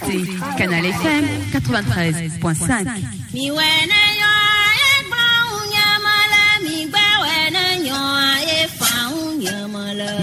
écoutez Canal FM 93.5.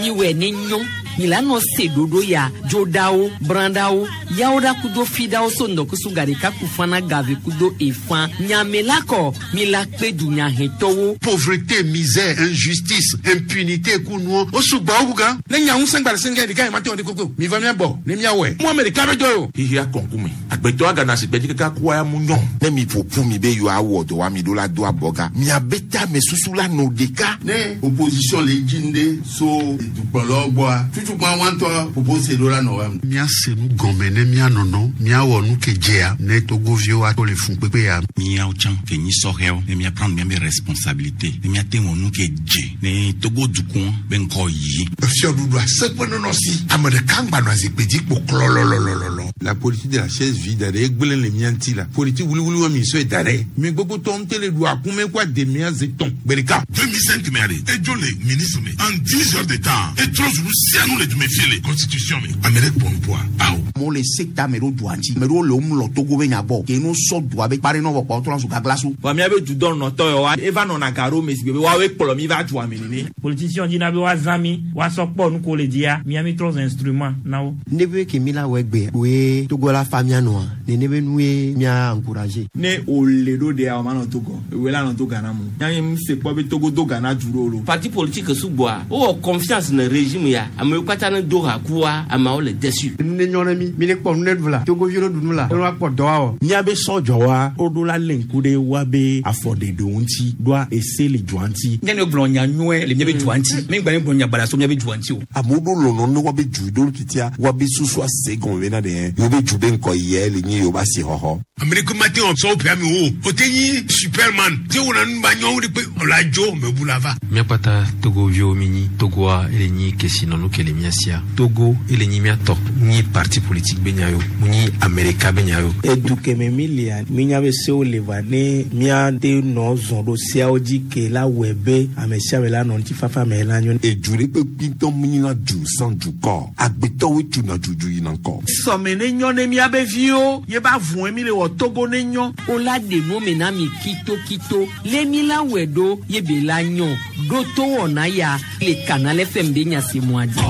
Miwɛ ne nyɔ milano se ɖoɖo ya dzoɖawo brãɖawo yawoɖa kudo fiɖawo so ŋdɔkusu gaɖeka kufana gave kudo efã nyamela kɔ mila kpe dunyahɛtɔwo. Pauvreté, misère, injustice, impunité kunuɔ o sugbɔ wu gan. Ne nya ŋusẽ gba le sɛngɛ ɖeka yi ma te wɔ ɖe koko mi va mía bɔ ne mía wɔe. Mu ame ɖeka be dɔ ye o. Xixia kɔnkume agbetɔ agana si gbedzi kaka kua ya mu nyɔ. Ne mi ƒo ƒu mi be yewoawɔ dɔ wa mi ɖo la do abɔga miabe tame susu la nɔ ɖeka. Ne opposition le dzi ŋɖe so dukplɔlawo gbɔa tutukpa wɔntɔ propose ɖo la nɔ wa. Míase nu gɔme ne míanɔnɔ míawɔ nu ke dzea ne togoviwo ato le fun kpekpe ya. Míawo tsã ke nyi sɔhɛwo ne míaprendre míabe responsabilité ne míate wɔ nu ke dze ne Togo dukɔ be ŋkɔ yi. Fiɔɖuɖu aseƒe nɔnɔ si ame ɖeka ŋgba nɔ azikpui dzi kpo klɔlɔlɔlɔlɔ. La politique de la chaise vide ɖe egblẽ le mía ŋuti la politique wuliwuli wa mi sɔe da ɖe. Mi gbogbo tɔ ŋutɔ le ɖu akume kó ademia ze tɔn gbe ɖeka. 2005 mɛ ale edzo le ministre me en 10 heures de temps etrɔ zu sianu le dume fie le constitution me ame ɖe kpɔ nuƒoa awo. Amewo le sekta me ɖo dua ŋuti ame ɖewo le wo mlɔ Togo be nya gbɔ ke no sɔ dua be kpa ɖe nɔ vɔ kpɔ wotrɔ zu gaglasu. Vɔ míabe dudɔ nɔtɔ yawoa eva nɔna ga ɖo me si gbe be woawoe kplɔ mi va dua me nene. Politicien dina be woazã mi woasɔ kpɔ nu ko le dzia mía mi trɔ zu instrument na wo. Ne be ke mi la wɔ egbe woe Togo la fa mía nɔa nene be nue mía encourager. Ne wòle ɖo ɖea wòma nɔ Togo ewoe la nɔ to Ghana mo. Nya mi se kpɔ be Togo do Ghana du ɖo lo. Parti politique sugbɔa wowɔ confiance ne régime ya amewo katã ne do ha kua ameawo le déçu. Nu ne nyɔ ne mi mi ne kpɔ nu ne ɖu la Togoviwo ne ɖu nu la ne woakpɔ dɔ awɔ. Míabe sɔdzɔwa woɖo la lé ŋku ɖe woabe afɔɖeɖewo ŋuti ɖoa ese le dua ŋuti. Nye ne gblɔ nya nyuie le míabe dua ŋuti mi gba ne gblɔ nya baɖa so míabe dua ŋuti o. Amewo ɖo lɔlɔ ne woabe du ɖo titia woabe susu ase gɔme bena ɖe yewo be du be ŋkɔ yia le nye yewo be asixɔxɔ. Ame ɖeke mate ŋu sɔ woƒe ame o o te nyi superman te wɔna nu ba nyɔwo ɖe kpe ɔla dzo mebu la va. Míakpata Togoviwo mi nyi Togoa ele nyi kesinɔnu ke le mía sia. Togo ele nyi mía tɔ. Nyi parti politique be nya yo, mu nyi Amerika be nya yo. Edu keme mi lia mínya be sewo le va ne míate nɔ zɔn ɖo seawo dzi ke la wɔe be ame sia ame la nɔ ŋutifafa me la nyo. Edu ɖe kpekpe ŋutɔ mu nyina du sans dukɔ. Agbetɔwoe tuna dudu yina ŋkɔ. Sɔme ne nyɔ ne míabe viwo ye ba vɔe mi le wɔ Togo ne nyɔ. Wola ɖe nu me na mi kitokito le mi la wɔe ɖo ye be la nyɔ ɖo to wɔna ya le Canal FM be nya se mɔa dzi.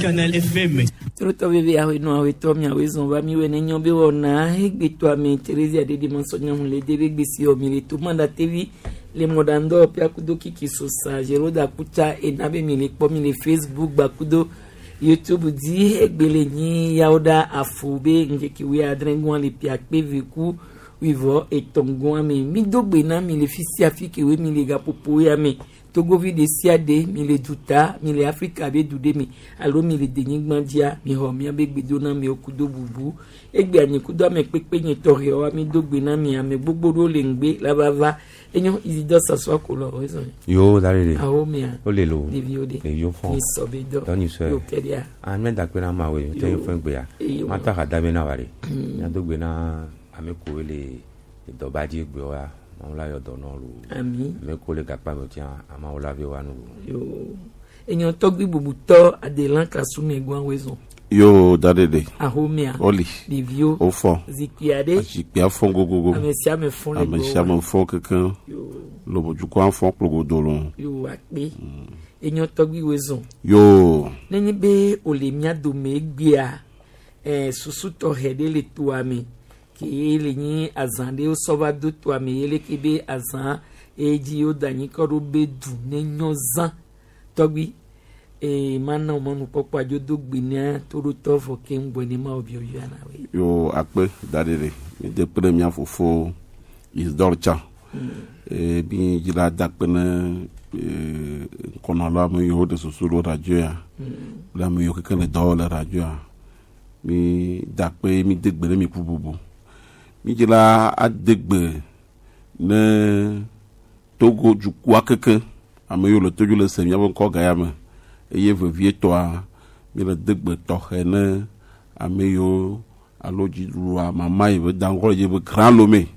Canal FM. Trotɔ bebe awoe nɔ awoe tɔ miawoe zɔn va miwoe ne nyɔ be wɔna egbetɔ ame Theresia ɖeɖe ma sɔ nyamu le de be gbesi wɔ mi le to manda tevi le mɔɖaŋdɔ ƒea kudo kiki sosa Jeroda kutsa ena be mi le kpɔ mi le Facebook gbakudo YouTube dzi egbe le nyi yawo ɖa afo be ŋkeke wuiadre gɔa le pia kpe veku wuivɔ etɔ̃ gɔa me mi do gbe na mi le fi sia fi ke we mi le gaƒoƒo ya me Togovi ɖe sia ɖe mi le duta mi le Afrika be du ɖe me alo mi le denyigba dzia mi xɔ miabe gbedoname kudo bubu egbe anyi kudo ame kpekpe nye tɔxɛwoa mi do gbe na mi ame gbogbo ɖewo le ŋgbe la va va enyo Isidore Sassoua Kolɔ o zɔn. Yo da le. Awo mia. O le lo. Ɖeviwo de. Ɖeviwo fɔn. Mi sɔ be dɔ. Dɔ ni sɔe. Yo kɛ ɖia. Ah ne da kpe na ma we. Te yo fɛn gbe ya. Ma ta ka da be na wa de. Mia do gbe na ame kowo le dɔba dzi gbe wa. Mawu la yɔ dɔ nɔ lo. Ami. Ame kowo le gakpa me tia amawo la ve wa nu lo. Yo. Enyo tɔgbi bubutɔ Adelan Kasume gbɔn we zɔn. Yo da de de. Ahomia. Oli. Ɖeviwo. O fɔ. Zikpui aɖe. Zikpuia fɔ gogogo. Ame sia ame fɔ le Ame gbɔwò. sia ame fɔ kekeŋ. Lobodukɔa fɔ kplogodo lo. Yo akpe. Enyo tɔgbi we zɔn. Yo. Nenye be wòle mía dome egbea susu tɔxɛ ɖe le toa me ke le nyi azã ɖe wosɔ va do toa me ye leke be azã eye dzi woda anyikɔ ɖo be du ne nyɔ zã tɔgbi mana wo mɔnukpɔkpɔ adzo do gbe na toɖotɔ vɔ keŋ gbɔ ne ma wo biɔbiɔ na woe. Yo akpe da de de. Mi de kpe ɖe mía fofo Isidore tsã. Eye mi dzi la da kpe ne ŋkɔnɔla ame yiwo ɖe susu ɖo radio ya. Kple ame yiwo kekeŋ le dɔ wɔm le radio ya. Mi da kpe mi de gbe ɖe mi ƒu bubu. Mi dzi la ade gbe ne Togo dukɔa kekeŋ ame yiwo le Togo le se míaƒe ŋkɔ ga ya me eye vevietɔa mi le de gbe tɔxɛ ne ame yiwo alo dziɖuɖua mama yi be da ŋkɔ le dzi be Grand Lomé.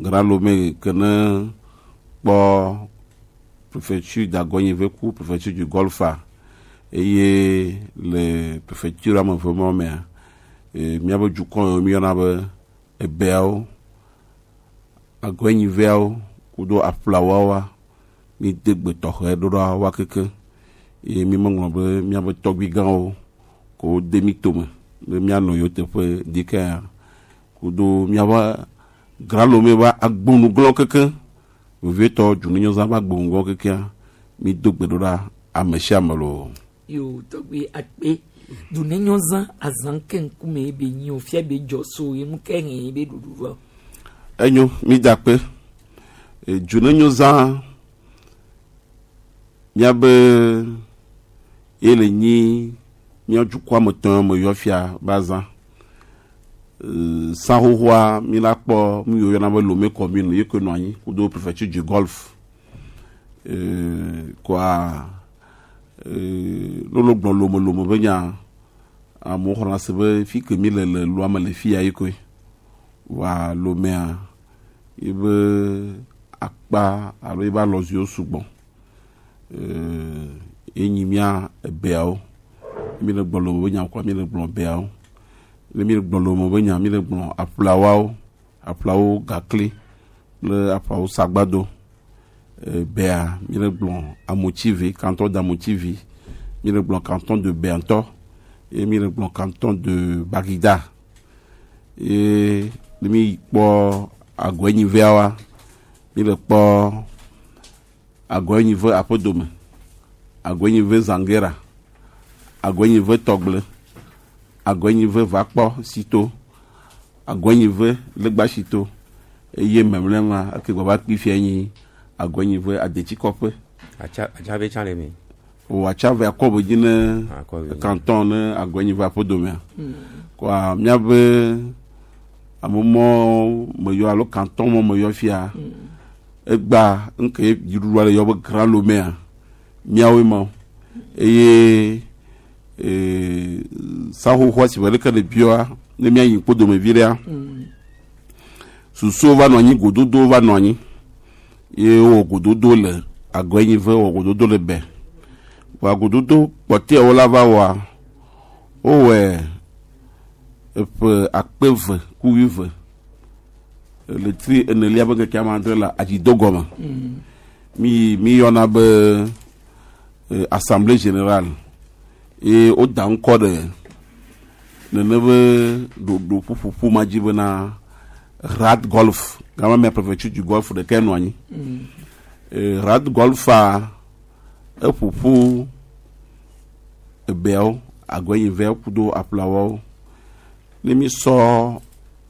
Grand Lomé ke ne kpɔ préfecture d'Agogny-Veku, préfecture du Golfe. Eye le prefecture ame eve mawo mea, míaƒe dukɔ yiwo míeyɔna be Ebeawo, Agɔenyiveawo kudo Aƒlawoawoa, míede gbe tɔxɛ ɖo ɖa woa keke. Eye mímeŋlɔ be míaƒe tɔgbui gãwo ko wode mí tome be míanɔ yewo teƒe ɖikea kudo míaƒe Grand Lomé ƒe agbonuglɔ̃ keke vevietɔ Dzunenyɔza ƒe agbonuglɔ̃ kekea mído gbe ɖo ɖa ame sia ame loo. Yo tɔgbi akpe Dzunenyɔza azã ke ŋkume be nyi o fia be dzɔ so ye nu ke hɛn be ɖuɖu va. Enyo mída akpe. Dzunenyɔza míabe ye le nyi mía dukɔa me tɔ me yɔ fia be azã. Sã xoxoa mi la kpɔ nu yiwo yɔna be Lomé commune ye koe nɔ anyi kudo préfecture du Golfe. Koa ne wole gblɔ Lome Lome be nya amewo xɔna se be fi ke mi le le loa me le fi ya ye koe. Vɔa Lomea yebe akpa alo yebe alɔziwo sugbɔ. Ye nyi mía ebeawo. Mi le gblɔ Lome be nya koa mi le gblɔ beawo. Ne mi le gblɔ Lome be nya mi le gblɔ aƒlawoawo, aƒlawo gakli kple aƒlawo sagbado. Bea mi le gblɔ Amotsivi, canton d'Amotsivi. Mi le gblɔ canton de Bea ŋutɔ eye mi le gblɔ canton de Bagida. Eye ne mi kpɔ Agɔenyiveawoa, mi le kpɔ Agɔenyive aƒedome, Agɔenyive Zangera, Agɔenyive Tɔgble, Agɔenyive Vakpɔ Sito, Agɔenyive Legbasito eye memlɛ ma eke gbava kpi fia nyi Agɔenyive Adetsikɔƒe. Atsave tsã le eme. O Atsave akɔ be dzi ne Akɔ be dzi. canton ne Agɔenyive aƒedomea. Koa míaƒe amemɔ me yɔ alo canton mɔ me yɔ fia. Egba nke dziɖuɖua le yɔ be Grand Lomea míawoe ma eye saxoxoa si ƒe ɖeke le biɔa ne míayi kpodome vi ɖea susuwo va nɔ anyi gododowo va nɔ anyi ye wowɔ gododo le Agɔenyive wɔ gododo le Bɛ vɔa gododo kpɔtɔewo la va wɔa wowɔe eƒe 2020 ɣleti enelia ƒe ŋkeke ame adre le adzido gɔme. Mi mi yɔna be assemblée générale eye woda ŋkɔ ɖe nene be ɖoɖo ƒuƒoƒo ma dzi bena Rad Golf gama mea préfecture du Golfe ɖekae nɔ anyi. Rad Golfa eƒoƒu ebeawo Agɔenyiveawo kudo aƒlawoawo. Ne mi sɔ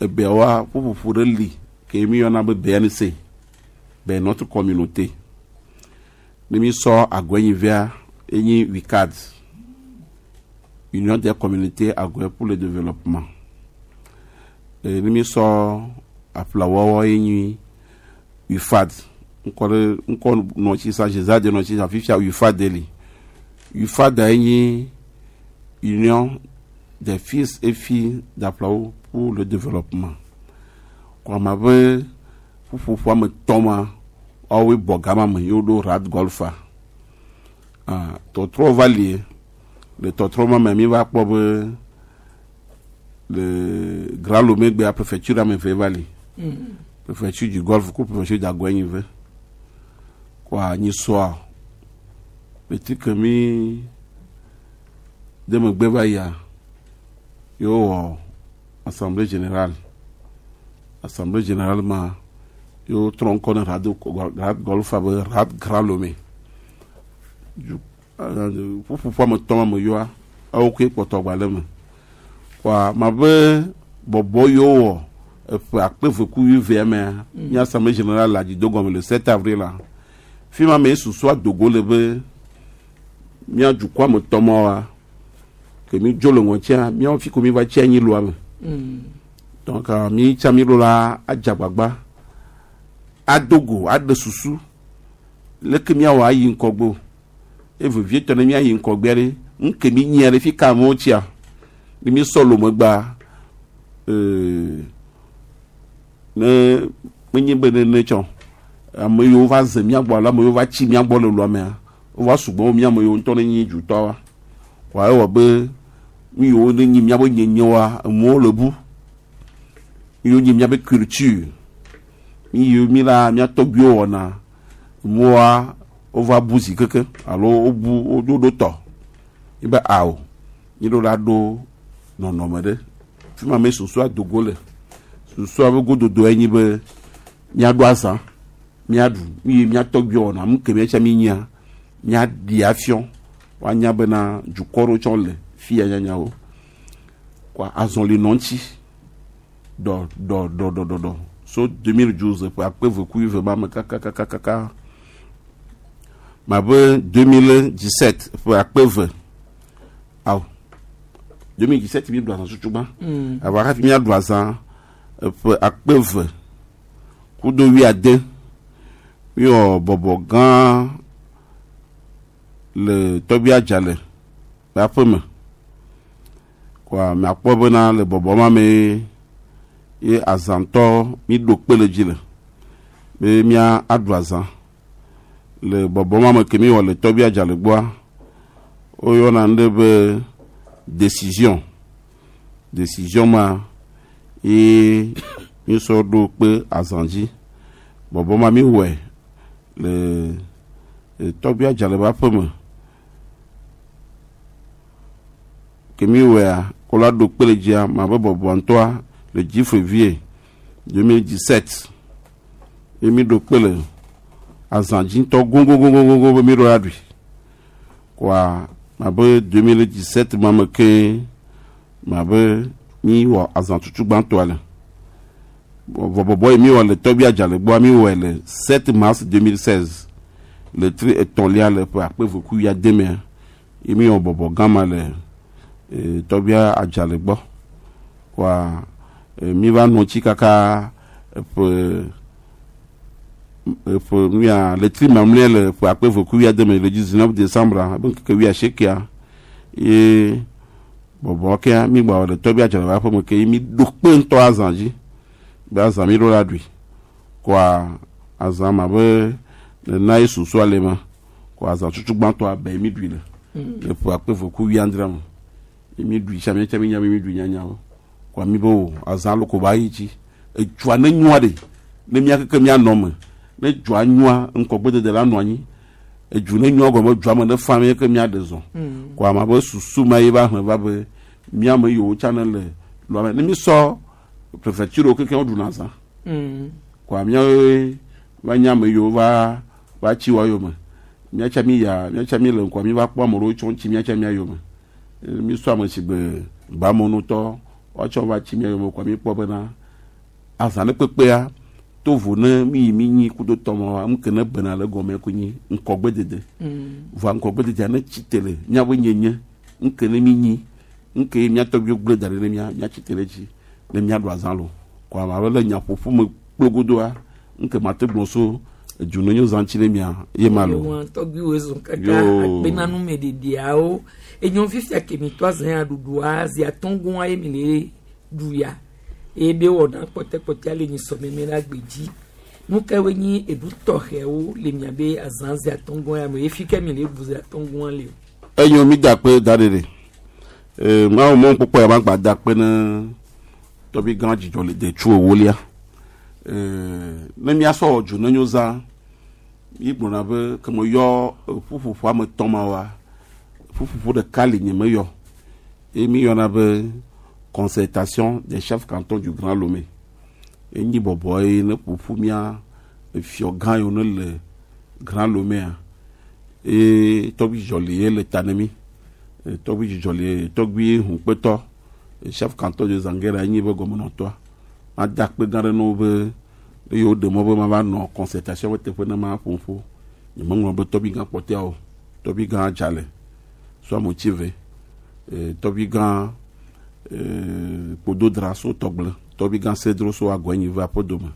ebeawoa ƒuƒoƒo ɖe li ke mi yɔna be BNC, be notre communauté. Ne mi sɔ Agɔenyivea enyi UCAD, Union des communautés Agɔe pour le développement. Ne mi sɔ aƒlawɔwɔ enyi UFAD, ŋkɔ ɖe ŋkɔ nɔ tsi sa Zezade nɔ tsi sa fifia UFAD li. UFAD enyi Union des fils et filles d'Aplaou pour le développement. Kɔma be ƒuƒoƒo ame tɔ̃ ma woawoe bɔ gama me ye woɖo Rad Golfa. Tɔtrɔ va li le tɔtrɔ ma me mi va kpɔ be le Grand Lomé gbea préfecture ame eve va li. Préfecture du Golfe ku préfecture d'Agɔenyive. Kɔa nyisɔa ɣleti ke mi de megbe va yia ye wowɔ assemblée générale. Assemblée générale ma ye wotrɔ ŋkɔ ne Rad Golfa be Rad Grand Lomé. Ƒuƒoƒo ame tɔ̃ ma me yɔa ewo koe kpɔtɔ gba le eme. Kɔa ma be bɔbɔ yiwo wɔ eƒe 2020 mea nye assemblée générale le adzido gɔme le 7 avril la. Fi ma me susua dogo le be mía dukɔa me tɔ mawoa ke mi dzo le ŋɔtia míawo fi ko mi va tsi anyi loa me. Donc mi tsa mi ɖo la adze agbagba ado go aɖe susu leke míawɔ ayi ŋgɔgbe o. Eye vevietɔ ne míayi ŋgɔgbea ɖe ŋke mi nyia ɖe fi ka amewo tsia ne mi sɔ Lomegba ne menye be nene tsɔ ame yiwo va ze mía gbɔ alo ame yiwo va tsi mía gbɔ le loa mea wova sugbɔ wo mía ame yiwo ŋutɔ ne nyi dutɔwoa. Kɔa ewɔ be nu yiwo ne nyi míabe nyenyewoa enuwo le bu. Nu yiwo nyi míabe culture, nu yiwo mi la mía tɔgbuiwo wɔna enuwoa wova bu zi keke alo wobu woɖo ɖo tɔ. Yi be ao mi ɖo la ɖo nɔnɔme ɖe. Fi ma me susua dogo le. Susua be gododoe nyi be míaɖo azã, míaɖu nu yi mía tɔgbuiwo wɔna nu ke míatsa mi nyia míaɖi afiɔ woanya bena dukɔ ɖewo tsɛ le fi ya nyanyawo. Kɔa azɔli nɔ ŋuti dɔ dɔ dɔ dɔ dɔ dɔ so 2012 ƒe akpe eve ku wuieve ma me kakakakaka mabe 2017 ƒe akpe eve awo 2017 mi ɖu azã tutu gbã. Ava hafi míaɖu azã eƒe akpe eve kudo wuiade míwɔ bɔbɔ gã le tɔgbi adzale le aƒe me. Kɔa miakpɔ bena le bɔbɔ ma me ye azãtɔ mi ɖo kpe le dzi le be mía aɖu azã le bɔbɔ ma me ke mi wɔ le tɔgbi adzale gbɔa woyɔna nu ɖe be décision décision ma ye mi sɔ ɖo kpe azã dzi bɔbɔ ma mi wɔe le tɔgbi adzale ƒe aƒe me ke mi wɔea kɔla ɖo kpe le dzia ma be bɔbɔ ŋutɔa le 10 février 2017 ye mi ɖo kpe le azã dzi ŋutɔ gogogogogogo be mi ɖo la ɖui kɔa ma be 2017 ma me ke ma be mi wɔ azã tutu gbãtɔa le vɔ bɔbɔ yi mi wɔ le tɔgbi adzale gbɔa mi wɔe le 7 mars 2016 le tri etɔ̃lia le ƒe akpe eve ku wuiade mea ye mi wɔ bɔbɔ gã ma le tɔgbia adzale gbɔ kɔa mi va nɔ tsi kaka eƒe eƒe nuya le tri mamlɛ le ƒe akpe eve ku wuiade me le 19 décembre ebe ŋkeke wuiasiekea ye bɔbɔ kea mi gba wɔ le tɔgbi adzale ƒe aƒe me ke ye mi ɖo kpe ŋutɔ azã dzi be azã mi ɖo la ɖui kɔa azã ma be nena ye susua le ma kɔ azã tutu gbãtɔa be mi ɖui le le ƒe akpe eve ku wuiadre me ye mi ɖui tsa miatsa mi nya be mi ɖui nyanyawo kɔa mi be o azã lo ko ba yi dzi edzua ne nyoa ɖe ne mía keke míanɔ me ne dzua nyoa ŋkɔgbedede la nɔ anyi edzu ne nyoa gɔme dzua me ne fa mi ke míaɖe zɔ kɔa ma be susu ma ye va hlẽ va be míame yiwo tsã ne le lɔa me ne mi sɔ préfecture wo kekeŋ woɖuna azã kɔa míawoe va nye ame yiwo va va tsi wa yome míatsa mi ya míatsa mi le ŋkɔa mi va kpɔ ame ɖewo tsɔ ŋtsi míatsa mía yome mi sɔ ame si gbe gbamonutɔ woatsɔ va tsi mía yome kɔa mi kpɔ bena azã ne kpekpea to vo ne mi yi mi nyi kudo tɔmɔwa nu ke ne bena le gɔme ko nyi ŋkɔgbedede vɔa ŋkɔgbededea ne tsi te le míaƒe nyenye nu ke ne mi nyi nu ke mía tɔgbuiwo gblẽ da ɖi ne mía míatsi te ɖe edzi ne míaɖu azã lo kɔa ame abe le nyaƒoƒo me kplogodoa nu ke mate gblɔ so edu ne nyo zã ŋuti ne mia ye ma lo. Yewoa tɔgbuiwo zɔn kaka akpena numeɖeɖeawo enyo fifia ke mi tɔ azã ya ɖuɖua zi atɔ̃ ye mi le ɖu ya eye be wɔna kpɔtɛkpɔtɛa le nyisɔmeme la gbe dzi nu kawoe nyi eɖu tɔxɛwo le miabe azã zi atɔ̃ ya me efi ke mi le ɖu zi atɔ̃ le o. Enyo mi da kpe da ɖe ɖe ee mawu mɔ kpɔkpɔ ya ma gba da kpe ne tɔbi gã dzidzɔ le detsu ewolia ee ne míasɔ wɔ dzo ne nyo zã yi gblɔna be ke me yɔ ƒuƒoƒo ame tɔn ma wa ƒuƒoƒo ɖeka li nye me yɔ eye mi yɔna be concertation des chefs cantons du Grand Lomé enyi bɔbɔ ye ne ƒoƒu mía efiɔ gã yiwo ne le Grand Loméa eye tɔgbi dzidzɔ li ye le ta ne mi tɔgbi dzidzɔ li tɔgbi hunkpetɔ chef canton de Zanguera enyi be gɔmenɔtɔa mada akpe gã ɖe ne wo be eye woɖe mɔ be mava nɔ concertation ƒe teƒe ne ma ƒo ƒo nyemeŋlɔ be tɔgbi gã kpɔtɛawo tɔgbi gã dzale suamotsive tɔgbi gã kpododra so tɔgble tɔgbi gã sedro so agɔnyi va aƒedome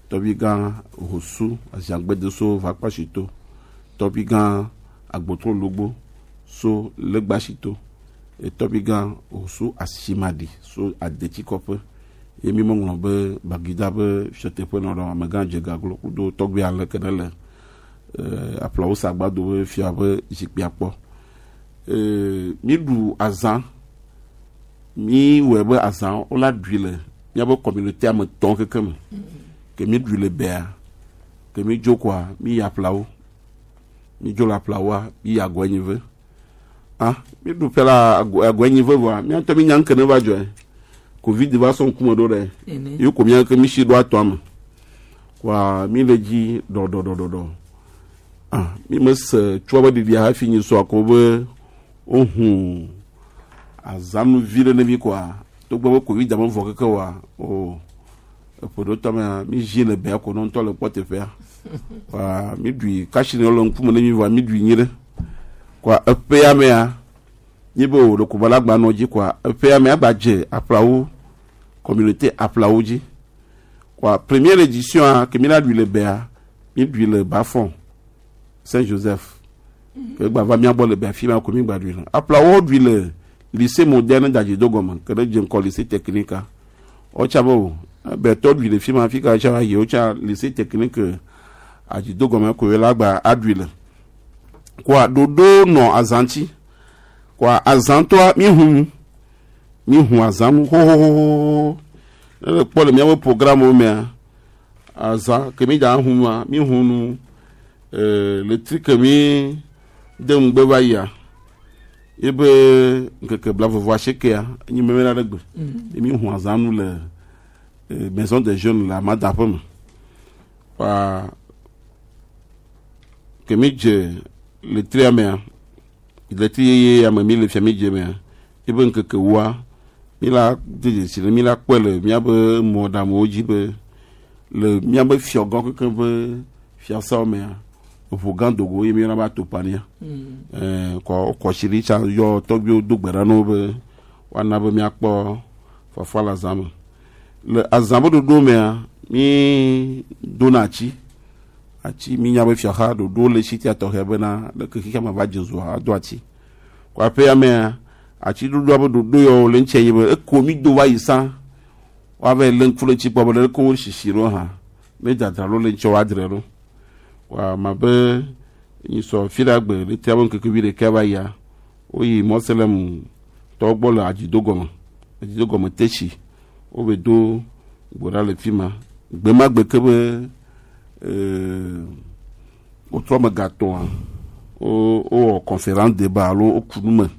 tɔgbi gã hosu aziagbede so vakpasito tɔgbi gã agbotrologbo so legbasito tɔgbi gã hosu asimadi so adetsikɔƒe ye mi meŋlɔ be bagida be fiɔteƒe nɔ ɖe amegã dzegaglo kudo tɔgbi ale ke ne le aƒlawo sagbado be fia be zikpuia kpɔ. Mi ɖu azã mi wɔe be azã wola ɖui le míaƒe communauté ame tɔn keke me ke mi ɖui le bea ke mi dzo koa mi yi aƒlawo mi dzo le aƒlawoa mi yi agɔenyive ah mi ɖu ƒe la agɔenyive vɔa mía ŋutɔ mi nya ŋke ne va dzɔe covid va sɔ ŋkume ɖo ɖe ye ko mía ke mi si ɖo atɔa me koa mi le dzi ɖɔɖɔɖɔɖɔ ah mi me se tsoa be ɖiɖia hafi nyi sɔ ko be wohu azanuvi ɖe ne mi koa togbɔ be covid me vɔ keke wa o eƒe ɖo tɔmea mi zi le bea ko ne ŋutɔ le kpɔ teƒea wa mi ɖui kasi ne le ŋkume ne mi vɔa mi ɖui nyi ɖe koa eƒea mea nyi be o ɖeko bala gba nɔ dzi koa eƒea mea gba dze aƒlawo communauté aƒlawo dzi koa première édition a ke mi la ɖui le bea mi ɖui le bafɔn Saint Joseph ke gba va mía gbɔ le bea fi ma ko mi gba ɖui le aƒlawo ɖui le lycée moderne d'Adjido gɔme ke ɖe dze ŋkɔ lycée technique wotsa be o bɛtɔ ɖui le fi ma fi ka tsa yi wotsa lycée technique Adjido gɔme ko la gba aɖui le koa ɖoɖo nɔ azãtsi koa azãtɔa mi hu nu mi hu azãnu xoxoxoxo ne le kpɔ le míaƒe programme mea azã ke mi dza hu nua mi hu nu le tri ke mi de ŋugbe va yia ebe ŋkeke blavɔvɔ asiekea enyi meme la ɖe gbe ye mi hu azãnu le maison des jeunes le amada ƒe me wa ke mi dze le tria mea le tri yeye ame mi le fia mi dze mea ebe ŋkeke woa mi la de dzesi le mi la kpɔe le miabe mɔɖaŋuwo dzi be le miabe fiɔgɔ keke be fiasawo mea eʋu gã dogo ye mi yɔna be atopania kɔ kɔsi ɖi tsa yɔ tɔgbiwo do gbe ɖa na wo be woana be miakpɔ fafa le azã me le azã be ɖoɖo mea mi dona atsi atsi mi nya be fiaxa ɖoɖo le si tia tɔxɛ bena leke xixia me va dze zua ado atsi kɔ aƒea mea atsi ɖoɖoa be ɖoɖo yawo le ŋutia yi be eko mi do va yi sã woava yi lé ŋku ɖe ŋuti kpɔ be leke wo sisi ɖo hã ne dzadzra ɖo le ŋutia woadzrae ɖo wa ma be nyisɔ fi ɖe agbe le tia be ŋkeke vi ɖeka va yia woyi mɔselem tɔwo gbɔ le adzido gɔme adzido gɔme tetsi wobe do gbo ɖa le fi ma gbe ma gbe ke be wotrɔ me gatɔa wo wowɔ conférence débat alo woku nu me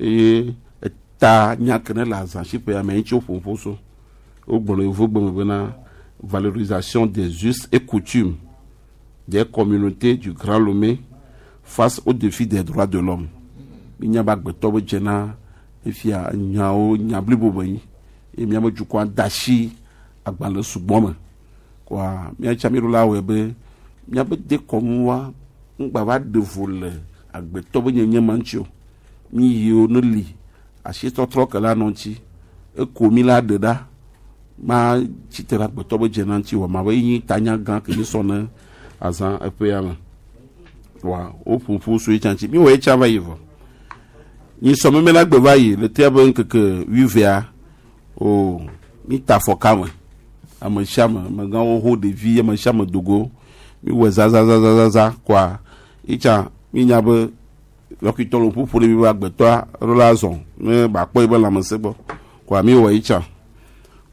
eye eta nya ke ne le azãsiƒea me ŋuti woƒo ƒo so wogblɔ le yevugbe me bena valorisation des us et coutumes des communautés du Grand Lomé face au défi des droits de l'homme. Minya be agbetɔ be dzena efia nyawo nya blibo be nyi eye miabe dukɔa da asi agbalẽ sugbɔ me koa miatsa mi ɖo la wɔe be miabe dekɔnua ŋgba va ɖe vo le agbetɔ be nyenye ma ŋuti o mi yiwo ne li asitɔtrɔ ke la nɔ ŋuti eko mi la ɖe ɖa ma tsitre ɖe agbetɔ be dzena ŋuti wɔ ma be enyi tanya gã ke mi sɔ ne azã eƒea me wa woƒoƒo so etsa ŋuti mi wɔ etsa va yi vɔ nyisɔ meme la gbe va yi le tea be ŋkeke wuievea o mi ta afɔ kame ame sia ame amegãwo ho ɖevi ame sia ame dogo mi wɔ zazazazaza koa itsa mi nya be lɔkitɔ le ƒoƒo ɖe mi be agbetɔa ɖo la zɔ ne ba kpɔ yi be lãmesẽ gbɔ koa mi wɔ itsa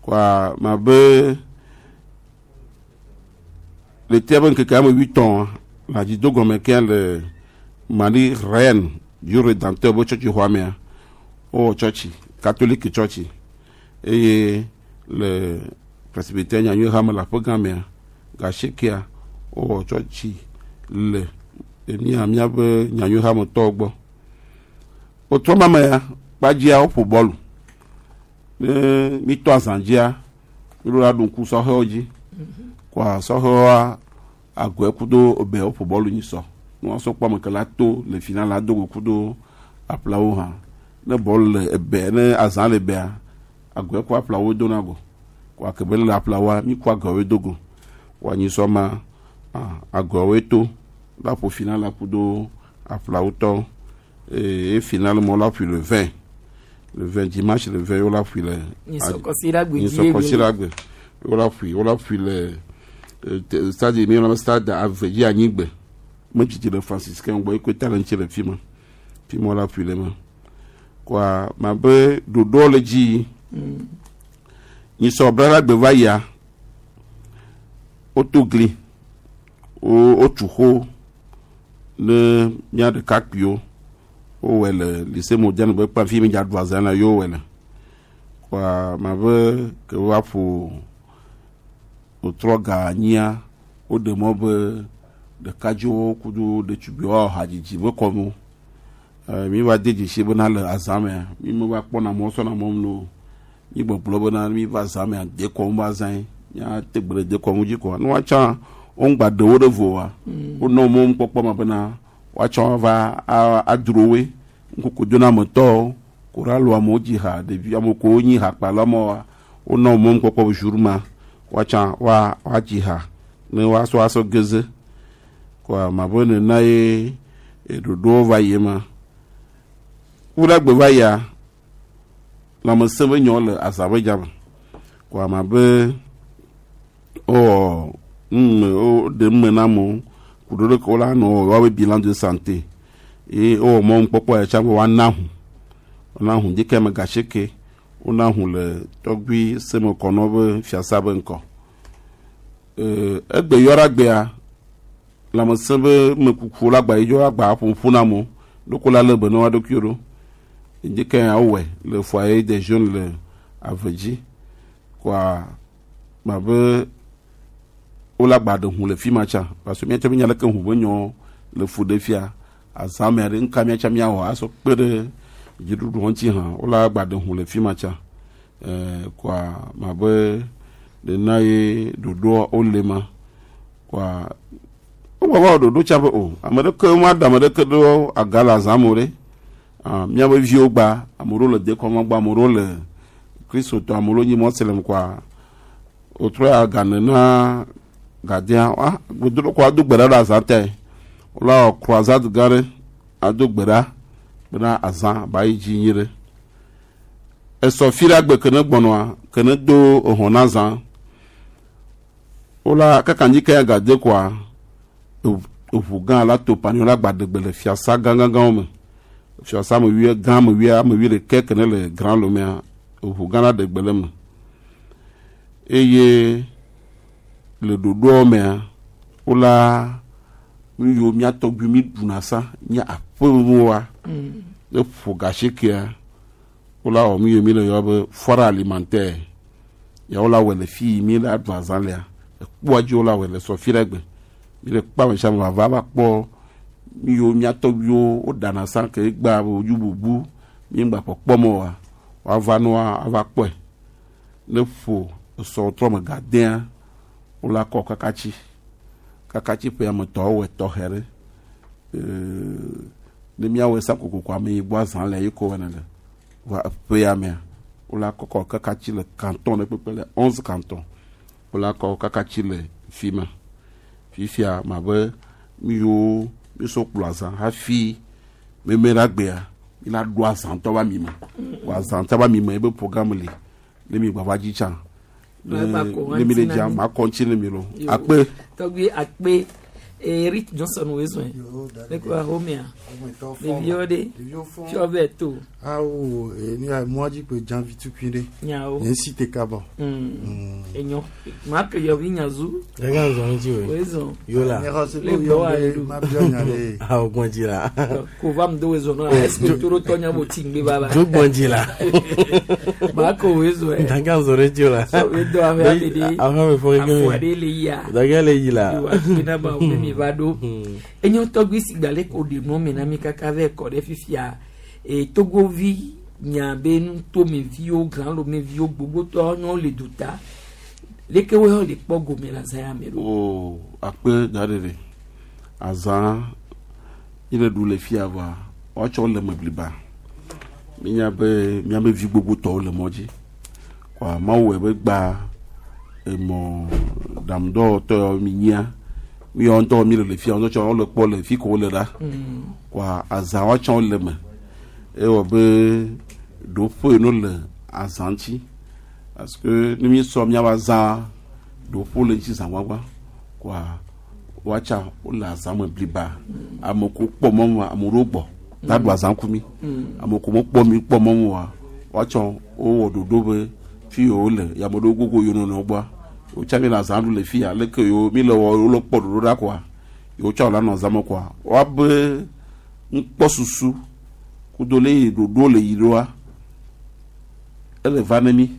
koa ma be le tea be ŋkeke ame wuitɔn le adzido gɔme ke le Marie Reine du Rédempteur be tsɔtsi xɔa mea wowɔ tsɔtsi katolike tsɔtsi eye le presbytère nyanyui hame le aƒe gã mea gasiekea wowɔ tsɔtsi le mía míaƒe nyanyui hametɔwo gbɔ wotrɔ ma mea kpadzia woƒo bɔlu ne mitɔ azã dzia míɖo la ɖu ŋku sɔhɛwo dzi koa sɔhɛwoa agɔe kudo ebe woƒo bɔlu nyi sɔ ne woasɔ kpɔ ame ke la to le final la do go kudo aƒlawo hã ne bɔlu le ebe ne azã le ebea agɔe ku aƒlawo dona go koa ke be le aƒlawoa mi ku agɔewoe do go koa nyi sɔ ma agɔewoe to la ƒo final la kudo aƒlawo tɔ eye final mɔ la ƒoe le 20 le 20 dimanche le 20 wola ƒoe le Nyisɔkɔsiɖagbe dzi nyisɔkɔsiɖagbe wola ƒoe wola ƒoe le stade mi yɔna be stade ave dzi anyigbe medzidzi le franciscain gbɔ ekoe ta le ŋuti le fi ma. Fi ma la ƒui le ma. Kɔa ma be ɖoɖoa le dzi yi. Nyisɔ bla gbe va yia, woto gli, wotu xo ne mía ɖekakpuiwo. Wowɔe le lycée moderne be kpa fi mi dza ɖu azã la yewo wɔe le. Kɔa ma be ke woava ƒo wotrɔ ga anyia, woɖe mɔ be ɖekadzewo kudo ɖetugbiwo awɔ hadzidzi be kɔnu. Mi va de dzesi bena le azã mea, mi me va kpɔna mɔ sɔna mɔ nu o. Mi gbɔgblɔ bena mi va azã mea, dekɔnu va azã ye. Mía te gbe ɖe dekɔnu dzi koa. Ne woatsã woŋgba ɖe wo ɖe vo oa, wonɔ mɔ kpɔkpɔ ma bena woatsɔ va adro woe. Ŋkuku donametɔwo, koralo amewo dzi ha, ɖevi ame kewo nyi hakpala mɔwoa, wonɔ mɔ kpɔkpɔ be jour ma woatsã woadzi ha ne woasɔ asɔ geze. Koa ma be nena ye ɖoɖowo va yi ma. Ku ɖe gbe va yia, lãmesẽ be nyɔ le azã be dzame. Koa ma be wowɔ nume woɖe nume na amewo ku ɖo ɖe ke wola nɔ wɔ woabe bilan de santé. Ye wowɔ mɔnukpɔkpɔ ya tsã be woana ʋu. Woana ʋu ɖekɛ me gasieke. Wona ʋu le tɔgbui semekɔnɔ be fiasa be ŋkɔ. Egbe yɔ ɖe agbea, lãmesẽ be mekuku la agba yi dzo agba ƒoƒu na amewo. Ɖeko la lé be ne woa ɖokuiwo ɖo. Ɖekɛ ya wowɔe le foyer des jeunes le ave dzi. Koa ma be wole agba ɖe ʋu le fi ma tsã. Parce que míatsã míenya leke ʋu be nyɔ le fu ɖe fia. Azã mea ɖe ŋka míatsã míawɔ asɔ kpe ɖe dziɖuɖu ŋuti hã. Wole agba ɖe ʋu le fi ma tsã. Koa ma be nena ye ɖoɖoa wole ma. Koa wogba va wɔ ɖoɖo tsã be o ame ɖeke ma ɖe ame ɖeke ɖo aga le azã me o ɖe. Míabe viwo gba, ame ɖewo le dekɔnu gba, ame ɖewo le kristotɔ, ame ɖewo nyi mɔselem koa wotrɔ ya ga nena gadea gbedoɖo koa ado gbe ɖa ɖe azã tae. Wola wɔ croisade gã ɖe ado gbe ɖa bena azã ba yi dzi nyuie ɖe. Esɔ fi ɖe agbe ke ne gbɔnɔa ke ne do ehɔn na azã. Wola kaka nyi ke ya gade koa eʋu gã la to panyo la gba ɖegbe le fiasa gãgãgãwo me. Fiasa me wui gã me wui ame wui ɖeke ke ne le Grand Lomea eʋu gã la ɖegbe le me. Eye le ɖoɖoa mea wola nu yiwo mía tɔgbui mi ɖuna sa nye aƒemewoa ne ƒo gasiekea wola wɔ nu yiwo mi le yɔ be foire alimentaire. Ya wola wɔe le fi yi mi la ɖu azã lea. Ekpoa dzi wola wɔe le sɔ fi ɖe gbe. Mi le kpe ame sia ame vava va kpɔ nu yiwo mía tɔgbuiwo woɖana sa ke egbea wodzo bubu mi ŋgba kpɔkpɔm oa woava nua ava kpɔe. Ne ƒo esɔ trɔ me gadea wola kɔ kakatsi. Kakatsi ƒe ame tɔwo wɔe tɔxɛ ɖe. Ne míawɔe sa kokoko ame yi gbɔ azã le ye ko wɔna le. Va eƒe ya mea wola kɔkɔ kakatsi le canton ɖe kpekpe le 11 canton. Wola kɔ kakatsi le fi ma. Fifia ma be nu yiwo mísɔ kplɔ azã hafi meme ɖe agbea mi la ɖo azãtɔ ba mi me. Wɔ azãtɔ ba mi me ebe programme li. Ne mi gba va dzi tsã. Ne mi le dzia ma kɔ ŋuti ne mi lo. Akpe. Tɔgbi akpe. Eric Johnson wezɔn. Ne ko ahomea. Ɖeviwo ɖe. Fiɔ bɛ to. Awo ni a mɔ dzi kpe janvi tukui ɖe. Nyawo. Nye si te kaba. Enyo. Ma ke yɔvi nyazu. Ɖeka zɔn ŋuti o. Wezɔn. Yola. Ne xɔ se Le be gbɔ yɔ wa be ɖu. ma biɔ nya ɖe. Awo gbɔn dzi la. Ko va mu do wezɔn na. Est-ce que toro tɔ nya bo ti ŋgbe va la. Dzo gbɔn dzi la. Ma ko wezɔn. Ɖeka zɔn ɖe dzi o la. Sɔ we do ame ame ɖe. Aƒe me fɔ keke Afɔ aɖe le yia. Ɖeka le yi la. Yo akpe na ba wo be mi va ɖo. Enyo tɔgbi si gba le ko ɖe nua me na mi kaka vɛ kɔ ɖe fifia. Togovi nya be nutomeviwo, grãlomeviwo gbogbotɔ nyɔ le duta. Leke wo le kpɔ gome le azã ya me ɖo. O akpe da ɖe ɖe. Azã yi le ɖu le fia vɔa woatsɔ le me bliba. Mínya be míabe vi gbogbotɔwo le mɔ dzi. Kɔa Mawu wɔe be gba emɔ ɖaŋudɔwɔtɔ yawo mi nyia. Mi yawo ŋutɔ mi le le fia ŋutɔ tsã wole kpɔ le fi ko wole ɖa. Kɔa azã woatsã wole me. Ewɔ be ɖoƒe no le azã ŋuti. Parce que ne mi sɔ míaƒe azã ɖoƒe le ŋuti zã gbagba. Kɔa woatsa wole azã me bliba. Ame ko kpɔ mɔ ma ame ɖewo gbɔ. la ɖu azã ku mi. Ame ko mekpɔ mi kpɔ mɔmu wa woatsɔ wowɔ ɖoɖo be fi yiwo le ya ame ɖewo gogo yewo nɔnɔewo gbɔa wotsa mi le azã ɖu le fi ya leke yewo mi le wɔ wole kpɔ ɖoɖo ɖa koa yewo tsɔ la nɔ azã me koa woabe nukpɔsusu kudo le yi ɖoɖo le yi ɖoa ele va ne mi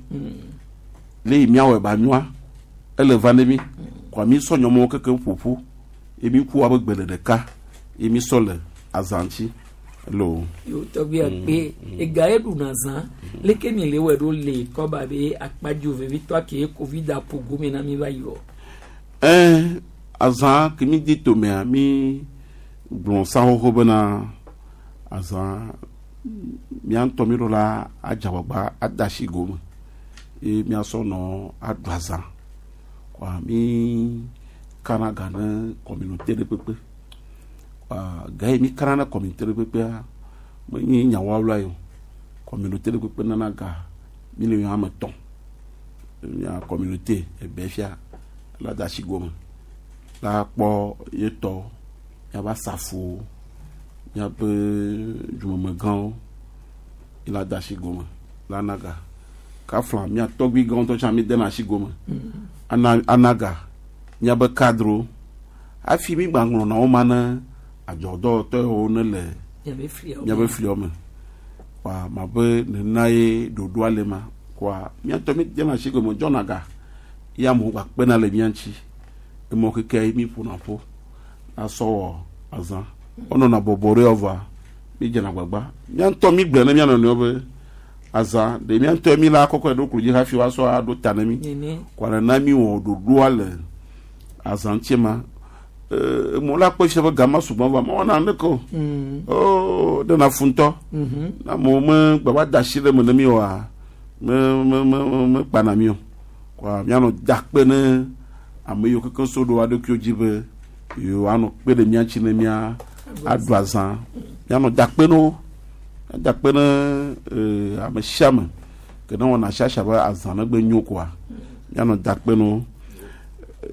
le yi miawɔe ba nyoa ele va ne mi koa mi sɔ nyɔmɔwo keke ƒoƒu ye mi ku woabe gbe le ɖeka ye mi sɔ le azã ŋuti lo. Yo tɔgbi akpe ega ye ɖuna zã leke mi le wɔ ɖo le kɔba be akpadzo vevitɔ ke covid aƒo gome na mi va yi wɔ. Ɛɛ azã ke mi di tomea mi gblɔ sa xoxo bena azã mía ŋutɔ mi ɖo la adzagbagba ada asi gome ye míasɔ nɔ aɖu azã kɔa mi kana ga ne communauté ɖe kpekpe kɔa ga yi mi kana ne communauté ɖe kpekpea menye nyawawla yi o communauté ɖe kpekpe nana ga miliɔn ame tɔ̃ mía communauté ebe fia la da asi gome la kpɔ ye tɔ míava safuwo míaƒe dzumemegãwo yi la da asi gome la na ga kafla mía tɔgbui gãwo ŋutɔ tsã mi dena asi gome ana ana ga míabe cadrewo hafi mi gba ŋlɔna wo ma ne adzɔdɔwɔtɔ yiwo ne le Miabe fliawo míabe fliawo me kɔa ma be nena ye ɖoɖoa le ma kɔa mía ŋutɔ mi dena asi gome dzɔna ga ye amewo gba kpena le mía ŋuti emɔ keke ye mi ƒona ƒo asɔ wɔ azã wonɔna bɔbɔ ɖe vɔa mi dzena agbagba mía ŋutɔ mi gblɔ ne mía nɔnɔewo be azã ɖe mía ŋutɔ mi la kɔkɔ ɖo klo dzi hafi woasɔ aɖo ta ne mi Nene. kɔa nena mi wɔ ɖoɖoa le azã ŋuti ma ee emɔ la kpɔ fia be gama sugbɔ vɔ mewɔna neke o oo ɖena fu ŋutɔ na amewo me gbava da asi ɖe me ne mi oa me me me me me kpana mi o kɔa míanɔ da kpe ne ame yiwo kekeŋ so ɖo woaɖokuiwo dzi be yewoanɔ kpe ɖe mía ŋuti ne mía aɖu azã míanɔ da kpe ne wo da kpe ne ee ame sia ame ke ne wɔna siasia be azã ne gbe nyo koa míanɔ da kpe ne wo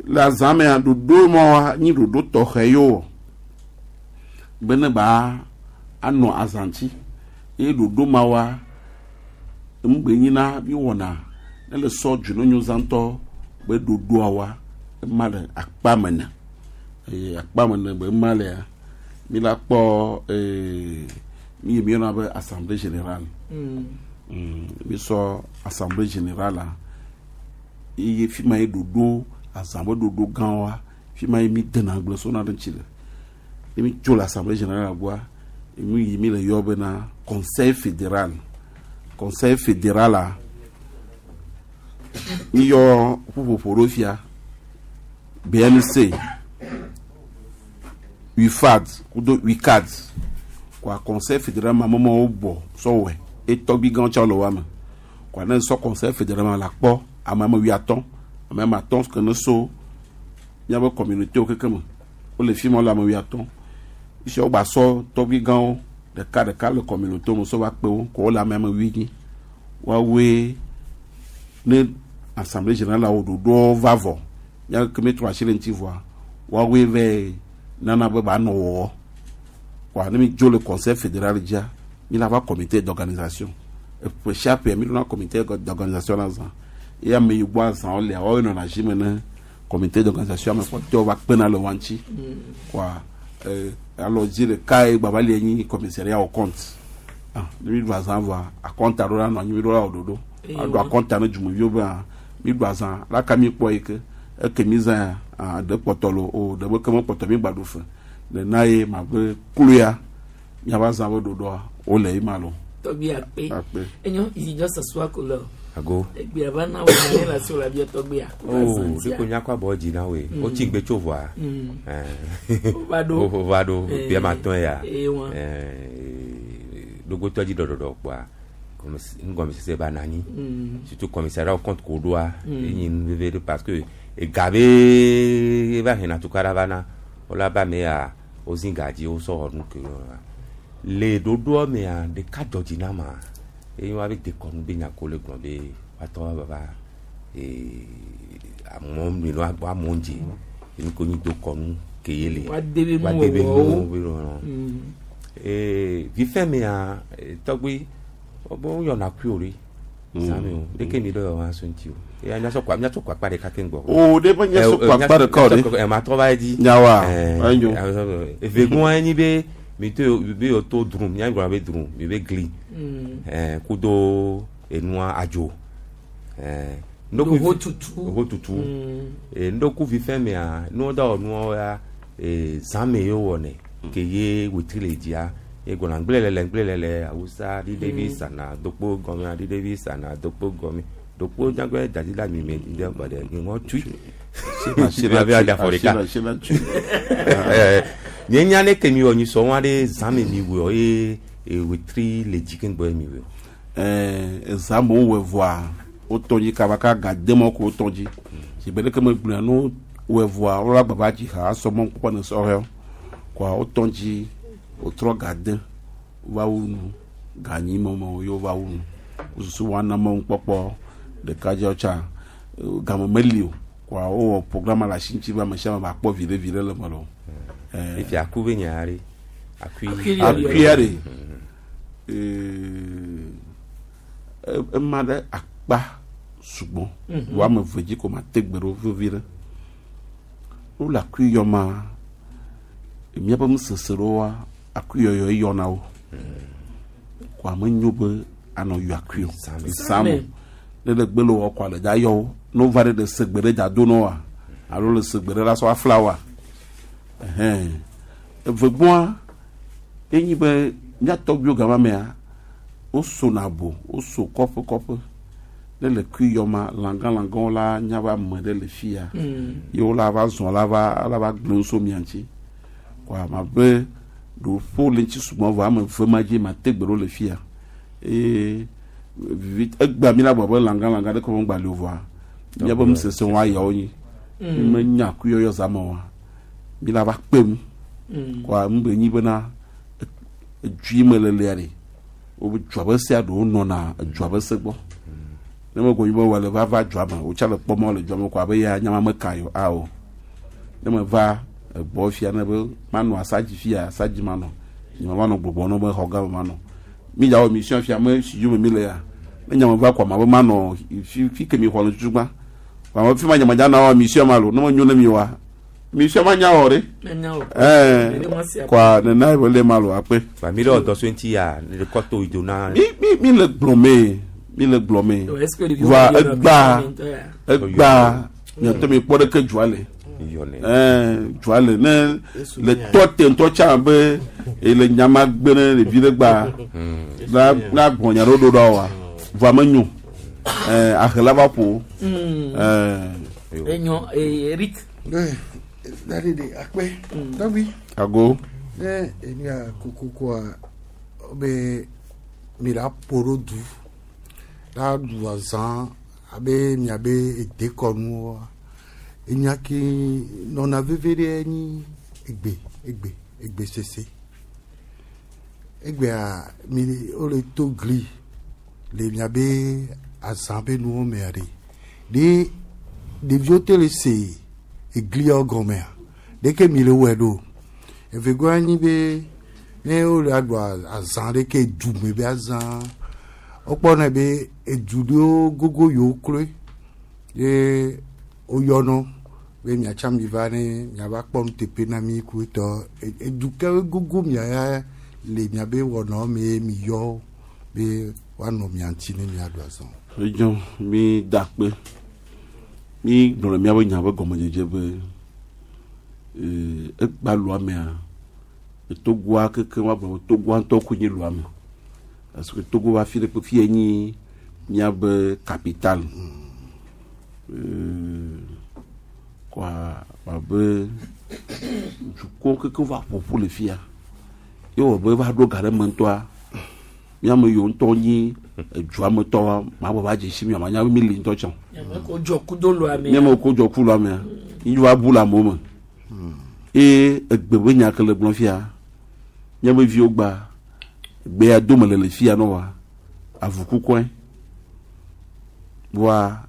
le azã mea ɖoɖo ma nyi ɖoɖo tɔxɛ yewo wɔ be ne ba anɔ azã ŋuti eye ɖoɖo ma wa ŋugbe nyina mi wɔna ne le sɔ dzononyozã ŋutɔ be ɖoɖoa wa ema le akpa me ne eye akpa me ne be ema lea mi la kpɔ ee mi yi mi yɔna be assemblée générale mi sɔ assemblée générale la eye fi ma ye ɖoɖo azã be ɖoɖo gã wa fi ma ye mi dena agble sona ɖe ŋuti le ne mi tso le assemblée générale gbɔa mi yi mi le yɔ bena conseil fédéral conseil fédéral la mi yɔ ƒuƒoƒo ɖo fia BMC UFAD kudo UCAD kɔa conseil fédéral ma mɔmɔwo bɔ sɔwɔe etɔgbi gãwo tsã le wa me kɔa ne sɔ conseil fédéral ma la kpɔ ame ame wuiatɔ̃ ame ame atɔ̃ ke ne so míaƒe communauté wo keke me wole fi ma wole ame wuiatɔ̃ esi wogba sɔ tɔgbi gãwo ɖeka ɖeka le communauté me sɔ va kpe wo kɔ wole ame ame wuienyi woawoe ne assemblée générale wo ɖoɖowo va vɔ míawo ke mi trɔ asi le ŋuti vɔa woawoe vɛ nana be ba nɔ wɔwɔ kɔa ne mi dzo le conseil fédéral dzia mi la va comité d'organisation eƒe sia ƒe mi ɖona comité d'organisation la zã eye ame yi gbɔ azãwo lea woawoe nɔna zi me ne comité d'organisation ame kpɔtɔewo va kpena le wa ŋuti kɔa ee alɔdzi ɖeka ye gbava li nyi commissariat au compte ah ne mi ɖu azã vɔa akɔnta ɖo la nɔ anyi mi ɖo la wɔ ɖoɖo aɖo akɔnta ne dzumeviwo be ah mi ɖu azã laka mi kpɔ yi ke eke mi zã ya ah ɖe kpɔtɔ lo o ɖe be ke me kpɔtɔ mi gba ɖu fe nena ye ma be kloya miava azã be ɖoɖoa wole yi ma lo. Tɔgbi akpe. Akpe. Enyo izinjɔ sasua ko lɔ. Ago. Egbea va na wo ne la so la bia tɔgbia. Oh, ɖeko nyakɔ abɔ dzi na woe. Wotsi gbe tso vɔa. Wova ɖo. Wova ɖo. Bia ma tɔn ya. Ee wa. Dogotɔ dzi ɖɔɖɔɖɔ kpoa. Nugɔmesese ba na anyi. Surtout commissariat au compte ko ɖoa. Enyi nu veve ɖe parce que ega be eva hena tukaɖa va na. Wola ba me ya wozi ga dzi wosɔ wɔ nu ke wa. Le ɖoɖoa mea ɖeka dzɔ dzi na ma. Eye wa be dekɔnu be nya ko le gblɔ be woatɔ wa va ee amewo mi no amewo dzi enu ko nyi do kɔnu ke ye le. Wa de be Wa de be nuwɔwɔwo. nuwo be nɔ. Ee, vifɛ mea tɔgbi wo yɔna kui o ɖe zãme o ɖeke mi ɖe yɔ so ŋuti o eya miasɔ kɔ miatsɔ kɔ akpa ɖeka keŋ gbɔ. O, ɖe be miasɔ kɔ akpa ɖeka o ɖe. Ɛ ma trɔ va yi dzi. Nyawoa, Ɛ, enyo. Evegoa enyi be mi to be yɔ to drum mia gblɔ be drum mi be gli. Ɛ kudo enua adzo. Ɛ Ho tutu. Ho tutu. E ŋdɔku vifɛ mea nuwo da wɔ nuwo ya e zãme ye wowɔnɛ ke ye wetri le dzia ye gbɔna ŋgblẽlele ŋgblẽlele awusa ɖiɖevi sana dokpo gɔme aɖiɖevi sana dokpo gɔme dokpo dzagbe dadi la mime ɖe gbɔɖe ŋɔ tui afɔ ɖeka nye nya ne ke mi wɔ nyisɔ wa ɖe zãme mi wɔ ye wetri le dzi keŋ gbɔ ye mi wɔ. Ɛɛ zãme wowɔe vɔa wotɔ dzi kaba ka ga dem ko wotɔ dzi si be ɖeke megblɔa no wɔe vɔa wola gbava dzi ha asɔ mɔ kpɔkpɔ ne sɔhɛwo kɔa wotɔ dzi wotrɔ ga de va wu nu ganyi mɔmɔ yewo va wu nu wosusu woana mɔ kpɔkpɔ ɖekadzewo tsa game meli o kɔa wowɔ programme le asi ŋuti be ame sia ame ba kpɔ viɖe viɖe le me lo. Efi aku be nya ɖe akui akuia ɖe ema ɖe akpa sugbɔ wo ame eve dzi ko ma te gbe ɖo vevi ɖe wole akui yɔ ma míaƒe nusese ɖewoa akui yɔyɔ yɔna wo ko ame nyo be anɔ yɔ akui o zãme ne le gbe le wɔ kɔ le dza yɔ wo ne wova ɖe le segbe ɖe dza do na woa alo le segbe ɖe la sɔ afla woa ɛhɛn evegbɔa enyi be mía tɔgbuiwo gama mea wosona bo woso kɔƒe kɔƒe ne le kui yɔ ma lãgãlãgãwo la nya be ame ɖe le fia ye wo la va zɔ la va la va gblẽ so mia ŋuti kɔa ma be ɖoƒo le ŋuti sugbɔ vɔ ame eve ma dzi ma te gbe ɖo le fia eye vivi egbea mi la gbɔ be lãgãlãgã ɖe kɔ me gba li o vɔa míaƒe nusese wa yawo nyi mi me nya kui yɔyɔ zã me oa mi la va kpe mu kɔa nu be nyi bena edui me lelea ɖe wobe dua be sea ɖewo nɔna edua be se gbɔ ne me gɔnyi be wòle va va dua me wotsa le kpɔmɔ le dua me kɔ abe ya nyama me ka yio awo ne me va egbɔ fia ne be manɔ asadzi fia asadzi manɔ nyama manɔ gbɔgbɔ ne be xɔ gã me manɔ mi dza wɔ mission fia me studio me mi le ya ne nyama va kɔ ma be manɔ fi fi ke mi xɔ le tutu gbã kɔ fi ma nyama dza na wɔ mission ma lo ne me nyo ne mi wa mission ma nya wɔ ɖe ɛɛ kɔa nena ye be le ma lo akpe. Ba mi ɖe ɔdɔ so ŋuti ya ne kɔto yi do na. Mi mi mi le gblɔ me mi le gblɔ me va egba egba miatɔ mi kpɔ ɖeke dzoa le ɛɛ dzoa le ne le tɔ te ŋutɔ tsã be ele nyama gbe ne ɖevi ɖe gba la la gbɔn nya ɖo ɖo ɖa wa vɔa me nyo ɛɛ ahela va ƒo ɛɛ. Enyo Eric. Dade de akpɛ tɔgbi. Ago. Ne enia kokokoa be mi la ƒo ɖo du la ɖu azã abe miabe edekɔnuwoa enya ke nɔna veve ɖe nyi egbe egbe egbe sese egbea mi wole to gli le miabe azã be nuwo mea ɖe ɖe ɖeviwo te le se egliawo gɔmea ɖeke mi le wɔe ɖo evegoa nyi be ne wole aɖu azã ɖeke dume be azã wokpɔnɛ be edu ɖewo gogo yewo kloe ye woyɔnɔ be miatsa mi va ne miava kpɔ nuteƒe na mi ku etɔ edu ke gogo mia ya le miabe wɔnawo me ye mi yɔ be woanɔ mia ŋuti ne miaɖu azã. Edzɔ mi da akpe mi gblɔ le miabe nya be gɔmedzedze be egba lua mea togoa keke wa gblɔ be togoa ŋutɔ koe nye lua me parce que Togo va fi ɖe kpe fi ye nyi miabe capitale kɔa abe dukɔ keke va ƒoƒu le fia ye wɔ be va ɖo ga ɖe me ŋutɔa miame yiwo ŋutɔ nyi edua me tɔwoa ma bɔ va dze si mi ma nya be mi li ŋutɔ tsã Miame ko dzɔ kudo lua mea. miame ko dzɔ ku lua mea yi va bu le amewo me eye egbe be nya ke le gblɔ fia miabe viwo gba gbe ya dome le le fia nɔ wa avu kukɔe wa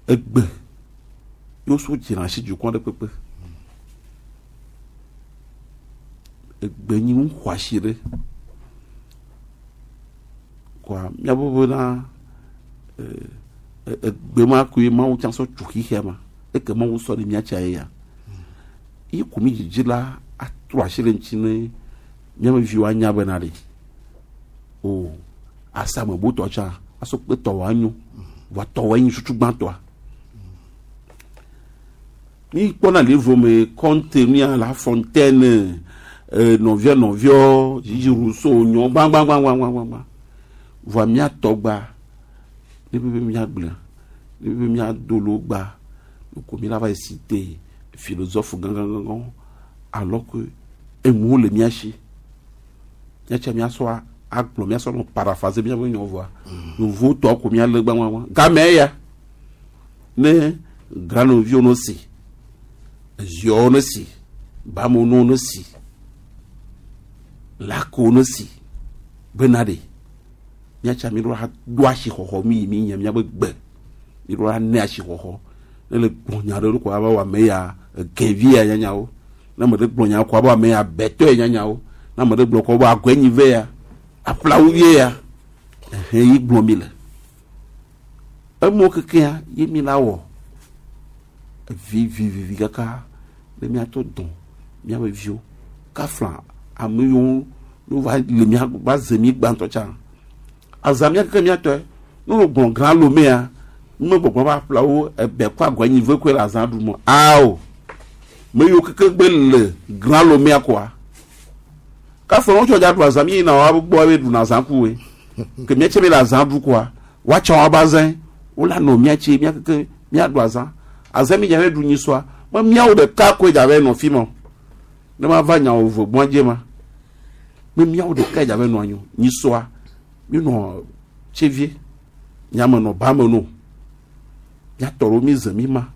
egbe yewo so dzina si dukɔ ɖe kpekpe Egbe nyi nu xɔasi ɖe. Kɔa míabe bena egbe ma koe Mawu tsã sɔ tu xixea ma. Eke Mawu sɔ ɖe mía tsa ye ya. Ye ko mi dzidzi la atrɔ asi ɖe ŋuti ne míabe viwo anya bena ɖe. O asame botɔ tsã asɔ kpe tɔwɔ anyo. Vɔa tɔwɔ nyi susu gbãtɔa. Mi kpɔna le vome kɔnte mía la fontaine nɔvia nɔviɔ dzidzi Rousseau nyɔ gbãgbãgbãgbãgbã. Vɔa mía tɔgba ne be mía gblẽ ne be mía do lo gba ko mi la va yi cité philosophe gãgãgãgã alors que enuwo le mía si. Míatsa míasɔ agblɔ míasɔ nɔ paraphraser míaƒe nyɔ vɔa yovo tɔ ko míalé gbãgbãgbã. Game ya ne granoviwo no si, eziɔwo no si, bamono no si, lakowo no si, bena ɖe míatsa mi ɖo la do asixɔxɔ mi yi mi nye míaƒe gbe mi ɖo la ne asixɔxɔ ne le gblɔ nya ɖe ko abe wɔ ya egɛvi ya nyanyawo ne ame ɖe gblɔ nya ko abe ame ya bɛtɔ ya nyanyawo ne ame ɖe gblɔ ko abe agɔenyi ve ya aƒlawu vie ya ehe yi gblɔ mi le emɔ kekea ye mi la wɔ vivivivi kaka ne míatɔ dɔn míaƒe viwo kafla ame yiwo no va le mía va ze mi gbãtɔ tsã azã mía keke míatɔe ne wo gblɔ gã lomea nume gbɔgbɔ va aƒlawo ebe kɔ agɔenyi ve koe le azã ɖum ao me yiwo keke gbe le gã lomea koa kafla wo tsɔ dza ɖu azã mi yina wa gbɔ be ɖuna azã ku we ke míatse be le azã ɖu koa woatsɔ wa ba zẽ wola nɔ míatse mía keke míaɖu azã azã mi dza be ɖu nyisɔa me míawo ɖeka koe dza be nɔ fi ma o ne ma va nyawo ve gbɔn dze ma me míawo ɖeka dza be nɔ anyi o nyisɔa mi nɔ tsevie nyame nɔ ba me no míatɔ ɖewo mi ze mi ma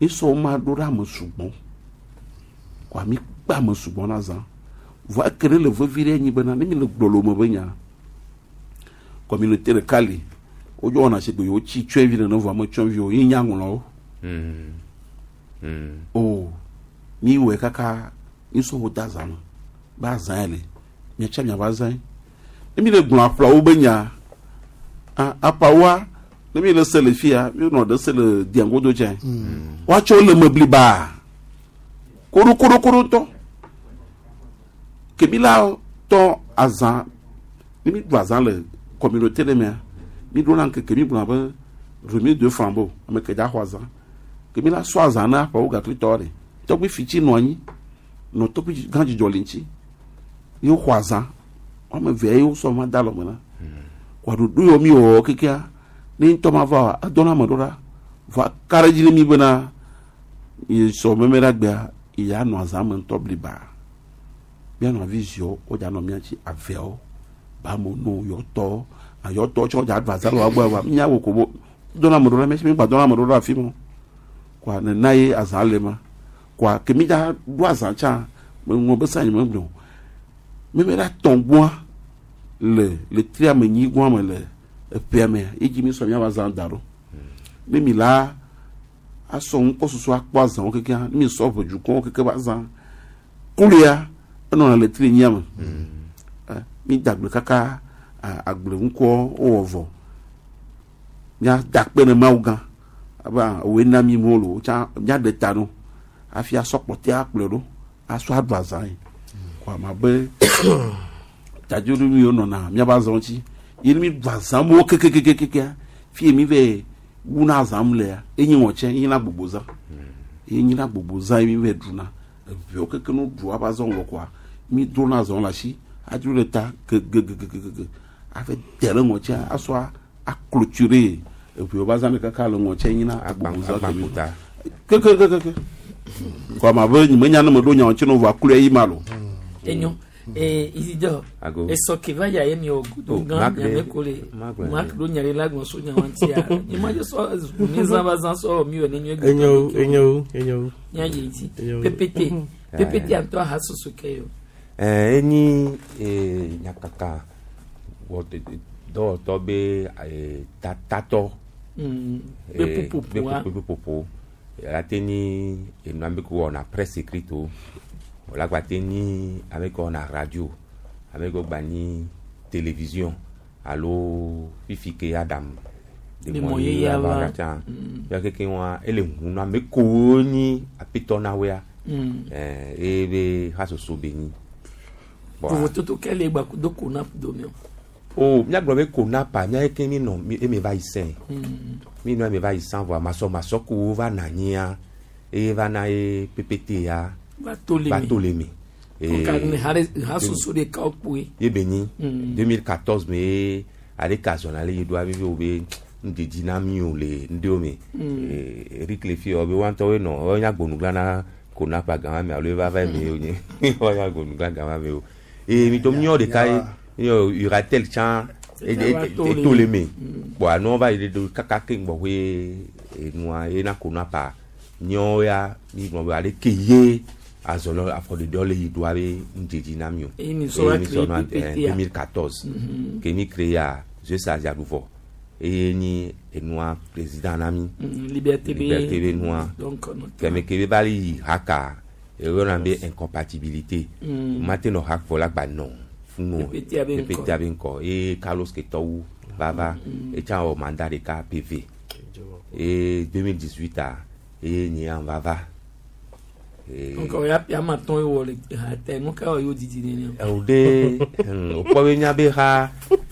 mi sɔ ma ɖo ɖe ame sugbɔ kɔa mi kpe ame sugbɔ na zã vɔ eke ɖe le vevi ɖe nyi bena ne mi le gblɔ me be nya communauté ɖeka li wodzɔ wɔna si gbe yewo tsi tsɔevi nene vɔ ame tsɔevi o yi nya ŋlɔwo o mi wɔe kaka mi sɔ wo da zã me be azã ya le miatsa miava azã yi ne mi le gblɔ aƒlawo be nya apawoa ne mi le se le fia mi nɔ ɖe se le diangodo tsɛ woatsɔ le me bliba koɖokoɖokoɖo ŋutɔ ke mi la tɔ azã ne mi ɖu azã le communauté ɖe mea mi ɖo la ŋkeke mi gblɔ be remise de flambeau ame ke dza xɔ azã ke mi la sɔ azã na aƒewo gaklitɔ ɖe tɔgbi fitsi nɔ anyi nɔ tɔgbi gã dzidzɔ le ŋuti ye woxɔ azã wɔme eve ye wosɔ ma da alɔme na kɔ ɖoɖo yɔ mi wɔ kekea ne ŋutɔ ma va wa edɔ na ame ɖo ɖa vɔ ka ɖe dzi ne mi bena yi sɔ meme ɖe agbea ya nɔ azã me ŋutɔ bliba mianɔ avi ziɔ wodza nɔ mia dzi aveawo bamono yɔtɔ ayɔtɔ tsɔ dza ɖu azã le wa gbɔ wa mia wò ko bo dɔ na ame ɖo ɖa mia si mi gba dɔ na ame ɖo ɖa afi ma kɔa nena ye azã le ma kɔa ke mi dza ɖu azã tsã me ŋlɔ be sa nye me gblɔ meme ɖa tɔn gbɔa le le tria me nyi gbɔa me le eƒea mea ye dzi mi sɔ miava azã da ɖo ne mi la asɔ ŋkɔsusu akpɔ azãwo kekea ne mi sɔ ʋedukɔwo keke va azã kulia enɔna le tri nyia me mi da agble kaka agble ŋkɔ wowɔ vɔ mia da akpe ne Mawu gã abe woe na mi mo lo tsa mia ɖe ta no hafi asɔ kpɔtɛ akplɔe ɖo asɔ aɖu azã yi kɔ ama be tadzonu mi yiwo nɔna miaƒe azãwo dzi ye ne mi ɖu azã mo kekekekekea fi mi vɛ wuna azã lea enye ŋɔtsɛ enye na gbogbo zã enye na gbogbo zã ye mi vɛ ɖuna eʋewo keke no ɖu woaƒe azãwo vɔ koa mi drona azãwo le asi adzro ɖe ta gegegegege aƒe te ɖe ŋɔtsɛ asɔ aclôturer eʋewo ƒe azã ɖe kaka le ŋɔtsɛ nyina gbogbo zã kemi kekekekeke kɔ ama be nyemenya ne meɖo nyawo ŋuti ne vɔ akloe yi ma lo. Enyo Isidore esɔ ke va ya ye mi wɔ gudo gã nyame ko le mak ɖo nya ɖe la gbɔn so nyawo ŋutia nye ma dze sɔ mi zã va zã sɔ mi wɔ ne nyuie gbɔ. Enyo enyo enyo. Nya yi dzi ppt ppt antɔ aha soso ke yo. Enyi nyakaka wɔ dɔwɔtɔ be tatɔ. Be ƒuƒoƒoa. Be ƒuƒoƒo ate nyi enua be ko wɔna presse écrite o. Wòle agbate nyi ame ke wɔna radio, ame ke gba nyi télévision alo fifi ke Adam Le mɔ yeyea va. Tsã. Ya keke wa ele ʋu na ame kewo nyi aƒetɔ na woea. Eye be hasoso be nyi. Bɔa- Vovototo ke le gba kudo konap dome o. O míagblɔ be konapa mía ke mi nɔ eme va yi sɛn. Mi nɔ eme va yi sɛn vɔa masɔmasɔ kowo va na anyia eye va na ye PPT ya Va to le va me. to le me. Donc, ne hasoso ɖeka wo kpoe. Ye be nyi 2014 me ye ale ka zɔna le yi ɖoa vivi wo be ŋdedi na mi o le ŋɖewo me. Eric le fi wɔ be woa ŋutɔwoe nɔ wonya agbonugla na konapa gama me alo eva va eme wo nye wonya agbonugla gama me o. Eye mi to míɔ ɖeka ye yɔ Uratel tsã eto le me. Kpɔa nua va yi ɖe do kaka ke gbɔƒe enua ye na konapa míawo ya mi gblɔ be ale ke ye azɔlɔ afɔɖeɖewo le yi ɖoa be ŋdzedzi na mi o. Eye mi sɔ va Eye mi sɔ créé na, PPT ya. 2014 ke mi créé ya Zeus Aziaɖuvɔ eye nyi enua président na mi. Liberté be Liberté be nua. Donc, nɔtɔ. Kɛmɛ ke be va yi haka eyɔna be incompatibilité. Mate nɔ ha kpɔ la gba nɔ funu PPT abe ŋkɔ. PPT abe ŋkɔ eye Carlos Ketɔwu va va etsã wɔ mandat ɖeka PV eye 2018 a eye nye hã va va. Donc, o ya ƒe ame atɔ̃ ye wɔ le ha te nu ka wɔ yewo didi nene o. O de wòkpɔ be míabe ha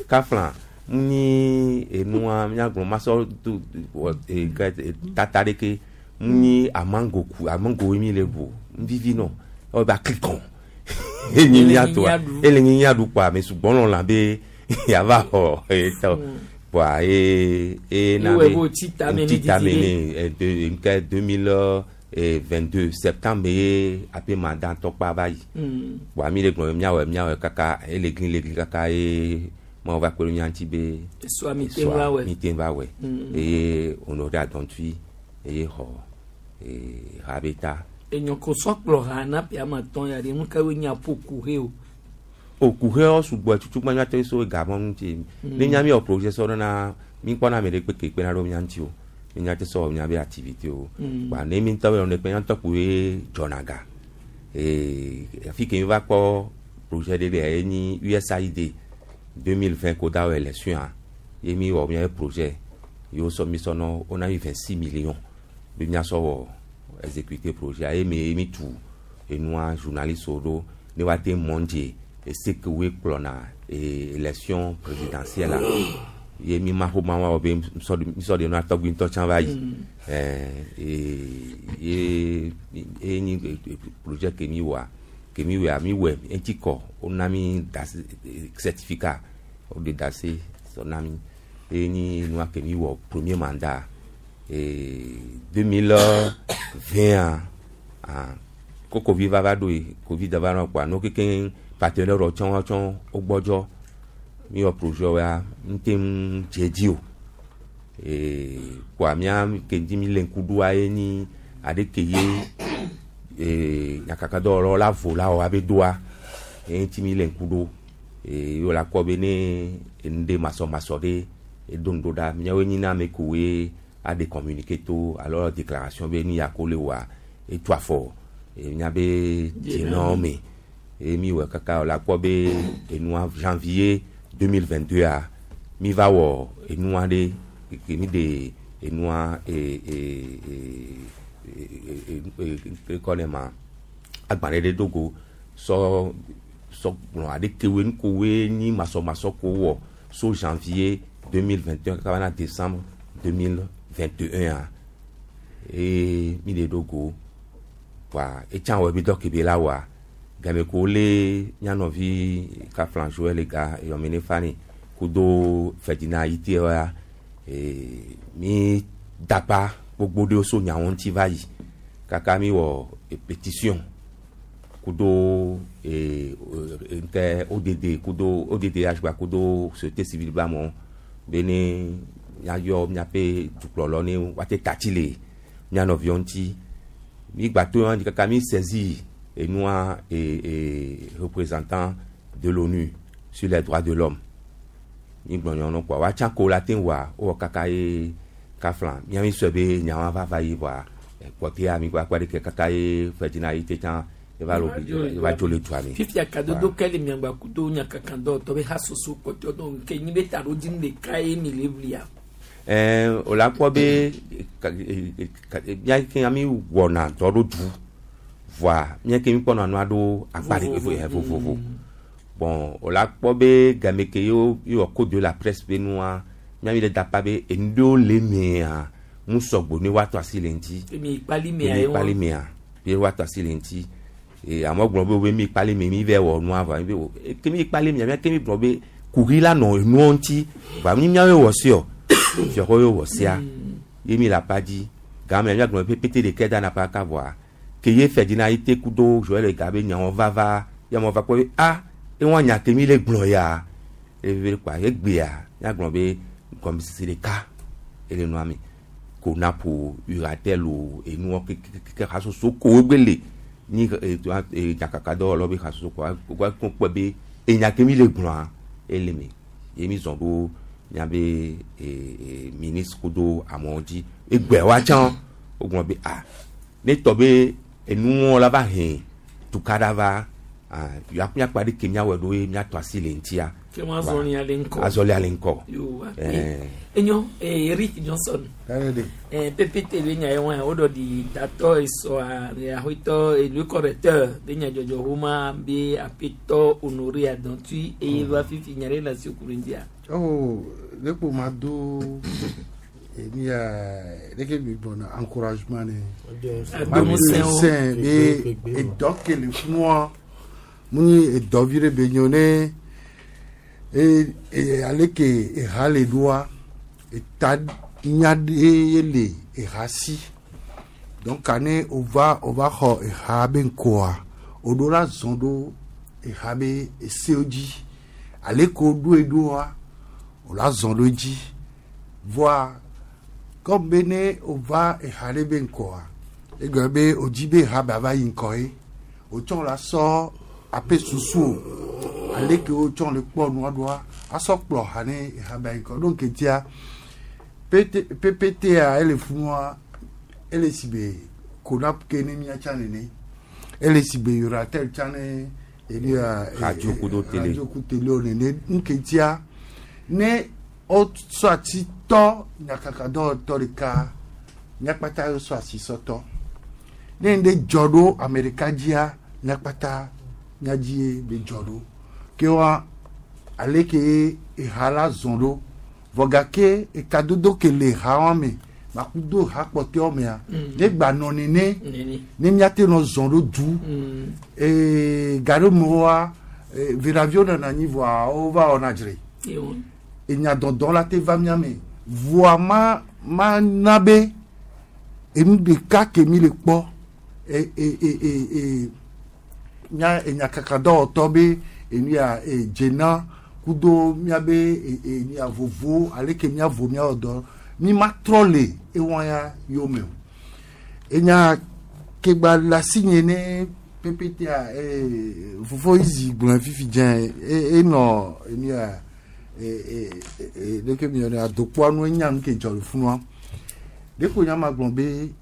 kafla nyi enua míagblɔ masɔ do wɔ e ke tata ɖeke nyi amango ku amango mi le bu vivi nɔ ɔ ba klikɔn enyi míatoa ele nyi míaɖu kpɔa ame sugbɔ lɔ la be yava xɔ etɔ kpɔa ye e na Ewɔe be be wòtsi tame ne ŋtsi tame didi ne de nke 2022 septembre ye aƒe mandat tɔkpa va yi. Kpɔa mi le gblɔ be míawɔe míawɔe kaka ele gli le gli kaka ye mawu va kpe ɖe mía ŋuti be Esɔa mi te va wɔe. mi te va wɔe. Eye wònɔ ɖe adɔntui eye xɔ ha be ta. Enyɔ ko sɔ kplɔ ha na ƒe ame atɔ̃ ya ɖe nu ka woe nye aƒo kuhe o. O kuhewo sugbɔ tutu gba míate so gamɔ ŋuti. Ne nya mi wɔ projet sɔ ɖo na mi kpɔna ame ɖe kpe ke kpena ɖo mía ŋuti o. Mi nya te sɔ wɔ míabe activité o. Kpa ne mi ŋutɔ be nɔ kpe mía ŋutɔ kpoe dzɔna ga. Afi ke mi va kpɔ projet ɖe le ye nyi USAID 2020 ko da wɔ élection a ye mi wɔ míabe projet ye wosɔ mi sɔ nɔ wona mi 26 millions be míasɔ wɔ exécuter projet a ye mi mi tu enua journaliste wo ɖo ne woate mɔndze ese ke woe kplɔna élection présidentielle a ye mi ma ƒo ma wɔ be misɔ de nua tɔgbi ŋutɔ tsã va yi. Ye ye nyi projet ke mi wɔa ke mi wɔa mi wɔe eŋuti kɔ wona mi dase certificat wode dase sɔ na mi ye nyi nua ke mi wɔ premier mandat 2020 a ko covid va va ɖo yi covid va nɔ kpɔa nuwo kekeŋ partenaire wɔ tsɔ tsɔ wogbɔdzɔ mi wɔ projet wa ŋute ŋu dze dzi o. Kpɔa mía ke dzi mi le ŋku ɖoa ye nyi aɖe ke ye nyakakadɔwɔlawo la vo la wɔ abe doa ye ŋuti mi le ŋku ɖo ye wòle akpɔ be ne enu ɖe masɔmasɔ ɖe edo nu ɖo ɖa míawoe nyi na ame kowoe aɖe communiqué to alo déclaration be nu ya ko le wɔa etu afɔ míabe dzenɔ me ye mi wɔ kaka wòle akpɔ be enua janvier 2022 a mi va wɔ enua ɖe ke mi ɖe enua ekɔ ne ma agbalẽ ɖe do go sɔ sɔ gblɔ aɖekewoe nukowoe nyi masɔmasɔ ko wɔ so janvier 2021 kaka va na décembre 2021 a eye mi ɖe do go wa etsã wɔ ebi dɔ ke be la wɔa game ko wolé mía nɔvi kafla Joël ga eyɔmene fani kudo Ferdinand Ayité wa mi dapa gbogbo ɖewo so nyawo ŋuti va yi kaka mi wɔ pétition kudo nke ODD kudo ODDH gba kudo société civile ba mɔ be ne míayɔ míaƒe dukplɔlɔ ne woate tatsi le mía nɔviwo ŋuti mi gba to ŋuti kaka mi saisi enua représentant de l'ONU sur les droits de l'homme mi gblɔ nyɔnu kpɔa woatsã ko la te ŋu wɔa wowɔ kaka ye kafla mía mi sɔe be nyawa va va yi vɔa kpɔtea mi gba kpa ɖeke kaka ye Ferdinand Ayité tsã eva le obligé eva dzo le dua me. Fifia kadodo ke le miagba kudo nyakaka dɔwɔtɔ be hasoso kpɔtɔ donc ke nyi be taɖodzinu ɖeka ye mi le ʋlia. Ɛɛ o la kpɔ be mía ke mi wɔna dɔ ɖo du voa mía ke mi kpɔna nua ɖo akpa ɖe vovovo. Bon, o la kpɔ be game ke yewo yewɔ code de la presse be nua, mía mi le da pa be enu ɖewo le mea mu sɔgbɔ ne woatɔ asi le ŋuti. Mi kpali mea Mi ye wɔn. kpali mea ye woatɔ asi le ŋuti. Ee amewo gblɔ be wo be mi kpali me mi vɛ wɔ nua vɔ mi be wo ke mi kpali mea mía ke mi gblɔ be kuxi la nɔ enuawo ŋuti vɔa mi míawoe wɔ seɔ fiɔxɔ ye wɔ sea ye mi le apa dzi game mía gblɔ be pépé ɖeke dana pa ka vɔa ke ye fɛ dzina ye te ku do Joël ga be nyawo vava ye amewo va kpɔ be a ewa nya ke mi le gblɔ ya eve kpa egbea mía gblɔ be gɔmesese ɖeka ele nua me konapo uratel o enuwo kekekeke hasoso ko egbe le ni nyakaka dɔwɔlawo be hasoso ko wa kpɔ be enya ke mi le gblɔa ele me ye mi zɔn ɖo miabe ministre kudo amewo dzi egbea wa tsã wogblɔ be a ne tɔ be enuwo la va hɛn tukaɖa va ah miakpa ɖe ke miawɔe ɖo ye miatɔ asi le ŋutia. Ke wɔn azɔli ale ŋkɔ. Azɔli ale ŋkɔ. Yo Ɛɛ. Enyo Eric Johnson. PPT be nya ye wɔn o dɔ di tatɔ esɔa ahoetɔ le correcteur be nya dzɔdzɔ homa be apetɔ Honoré Adantui eye va fifi nya ɖe le asi ku ɖe ŋutia. Oh, ne kpo ma do eni ya ɖeke mi gbɔna encouragement ne. Ado ŋusẽ wo. ŋusẽ be edɔ ke le funua mu nyi edɔ vi ɖe be nyo ne e e ale ke eha le ɖoa eta nya ɖe ye le eha si donc ane wova wova xɔ eha be ŋkɔa woɖo la zɔn ɖo eha be esewo dzi ale ke woɖoe ɖoa wòla zɔn ɖo edzi voa comme be ne wova eha ɖe be ŋkɔa egɔme be wodzi be eha be ava yi ŋkɔ ye wotsɔ la sɔ ape susu o ale ke wotsɔ le kpɔ nua ɖoa asɔ kplɔ ha ne eha be ayi ŋkɔ donc etia PT PPT-a ele funua ele si be konap ke ne miatsa nene ele si be yoratel tsa ne eni ya Radio kudo télé. Radio ku télé o nene nketia ne wosɔ ati tɔ nyakaka dɔwɔtɔ ɖeka nyakpata yɔ sɔ asi sɔtɔ ne ŋɖe dzɔ ɖo ame ɖeka dzia nyakpata nyadzie be dzɔ ɖo ke wa ale ke eha la zɔn ɖo vɔ gake ekadodo ke le ha wa me makudo ha kpɔtɔewo mea ne gba nɔ nene Nene. ne míate nɔ zɔn ɖo du ee gaɖo me wa viraviwo nɔna anyi vɔa wova wɔna dzre Ye wɔn. enya dɔdɔ la te va mía me voa ma ma na be enu ɖeka ke mi le kpɔ e e e e e nya enyakaka dɔwɔtɔ be enu ya e dzena kudo míabe e e enu ya vovo ale ke míavo míawɔ dɔ mi ma trɔ le ewɔ ya yome o enya ke gba le asi nye ne ppt-a ee fofo izi gblɔe fifi dze e enɔ enu ya e e e ɖeke mi yɔnɛ adokpoa nu enya nu ke dzɔ le funua ɖeko nya ma gblɔ be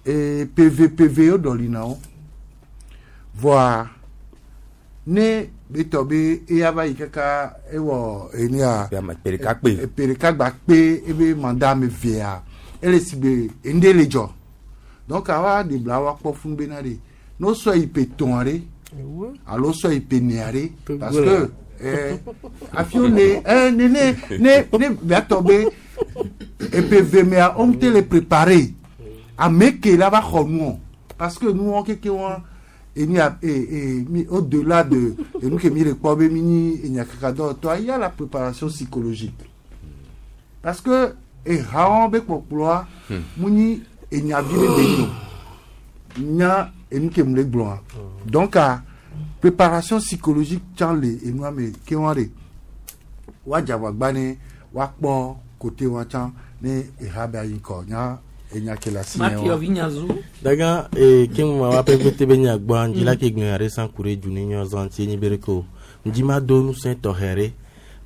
ee pvpv wo ɖɔli na wo vɔa ne betɔ be eya va yi kaka ewɔ enu ya Ƒe ɖeka kpe. ƒe ɖeka gba kpe ebe mandat ame evea ele si be enu ɖe le dzɔ donc awa ɖe bla wa kpɔ fún bena ɖe ne wosɔ yi ƒe tɔn ɖe alo wosɔ yi ƒe nea ɖe parce que afi wo le ne ne ne ne biatɔ be eƒe eve mea wo ŋutɔ le préparé ame ke la va xɔ nuɔ parce que nuɔ keke wa enu ya e e mi au delà de enu ke mi le kpɔ be mi nyi enyakaka dɔwɔtɔa il y a la préparation psychologique parce que ehawo be kpɔkplɔa mu nyi enyavi ɖe be nyi o nya enu ke mu le gblɔa donc a préparation psychologique tsã le enua me ke wa de woadze agbagba ne woakpɔ côté wa tsã ne eha be ayi ŋkɔ nya enya ke le asi nye wa. Daga e ke mu ma wa PPT be nya gbɔ ndzi la ke gblẽ are san ku ɖe du ne nyɔ zã ŋuti enyi be ɖeke o ŋdzi ma do ŋusẽ tɔxɛ ɖe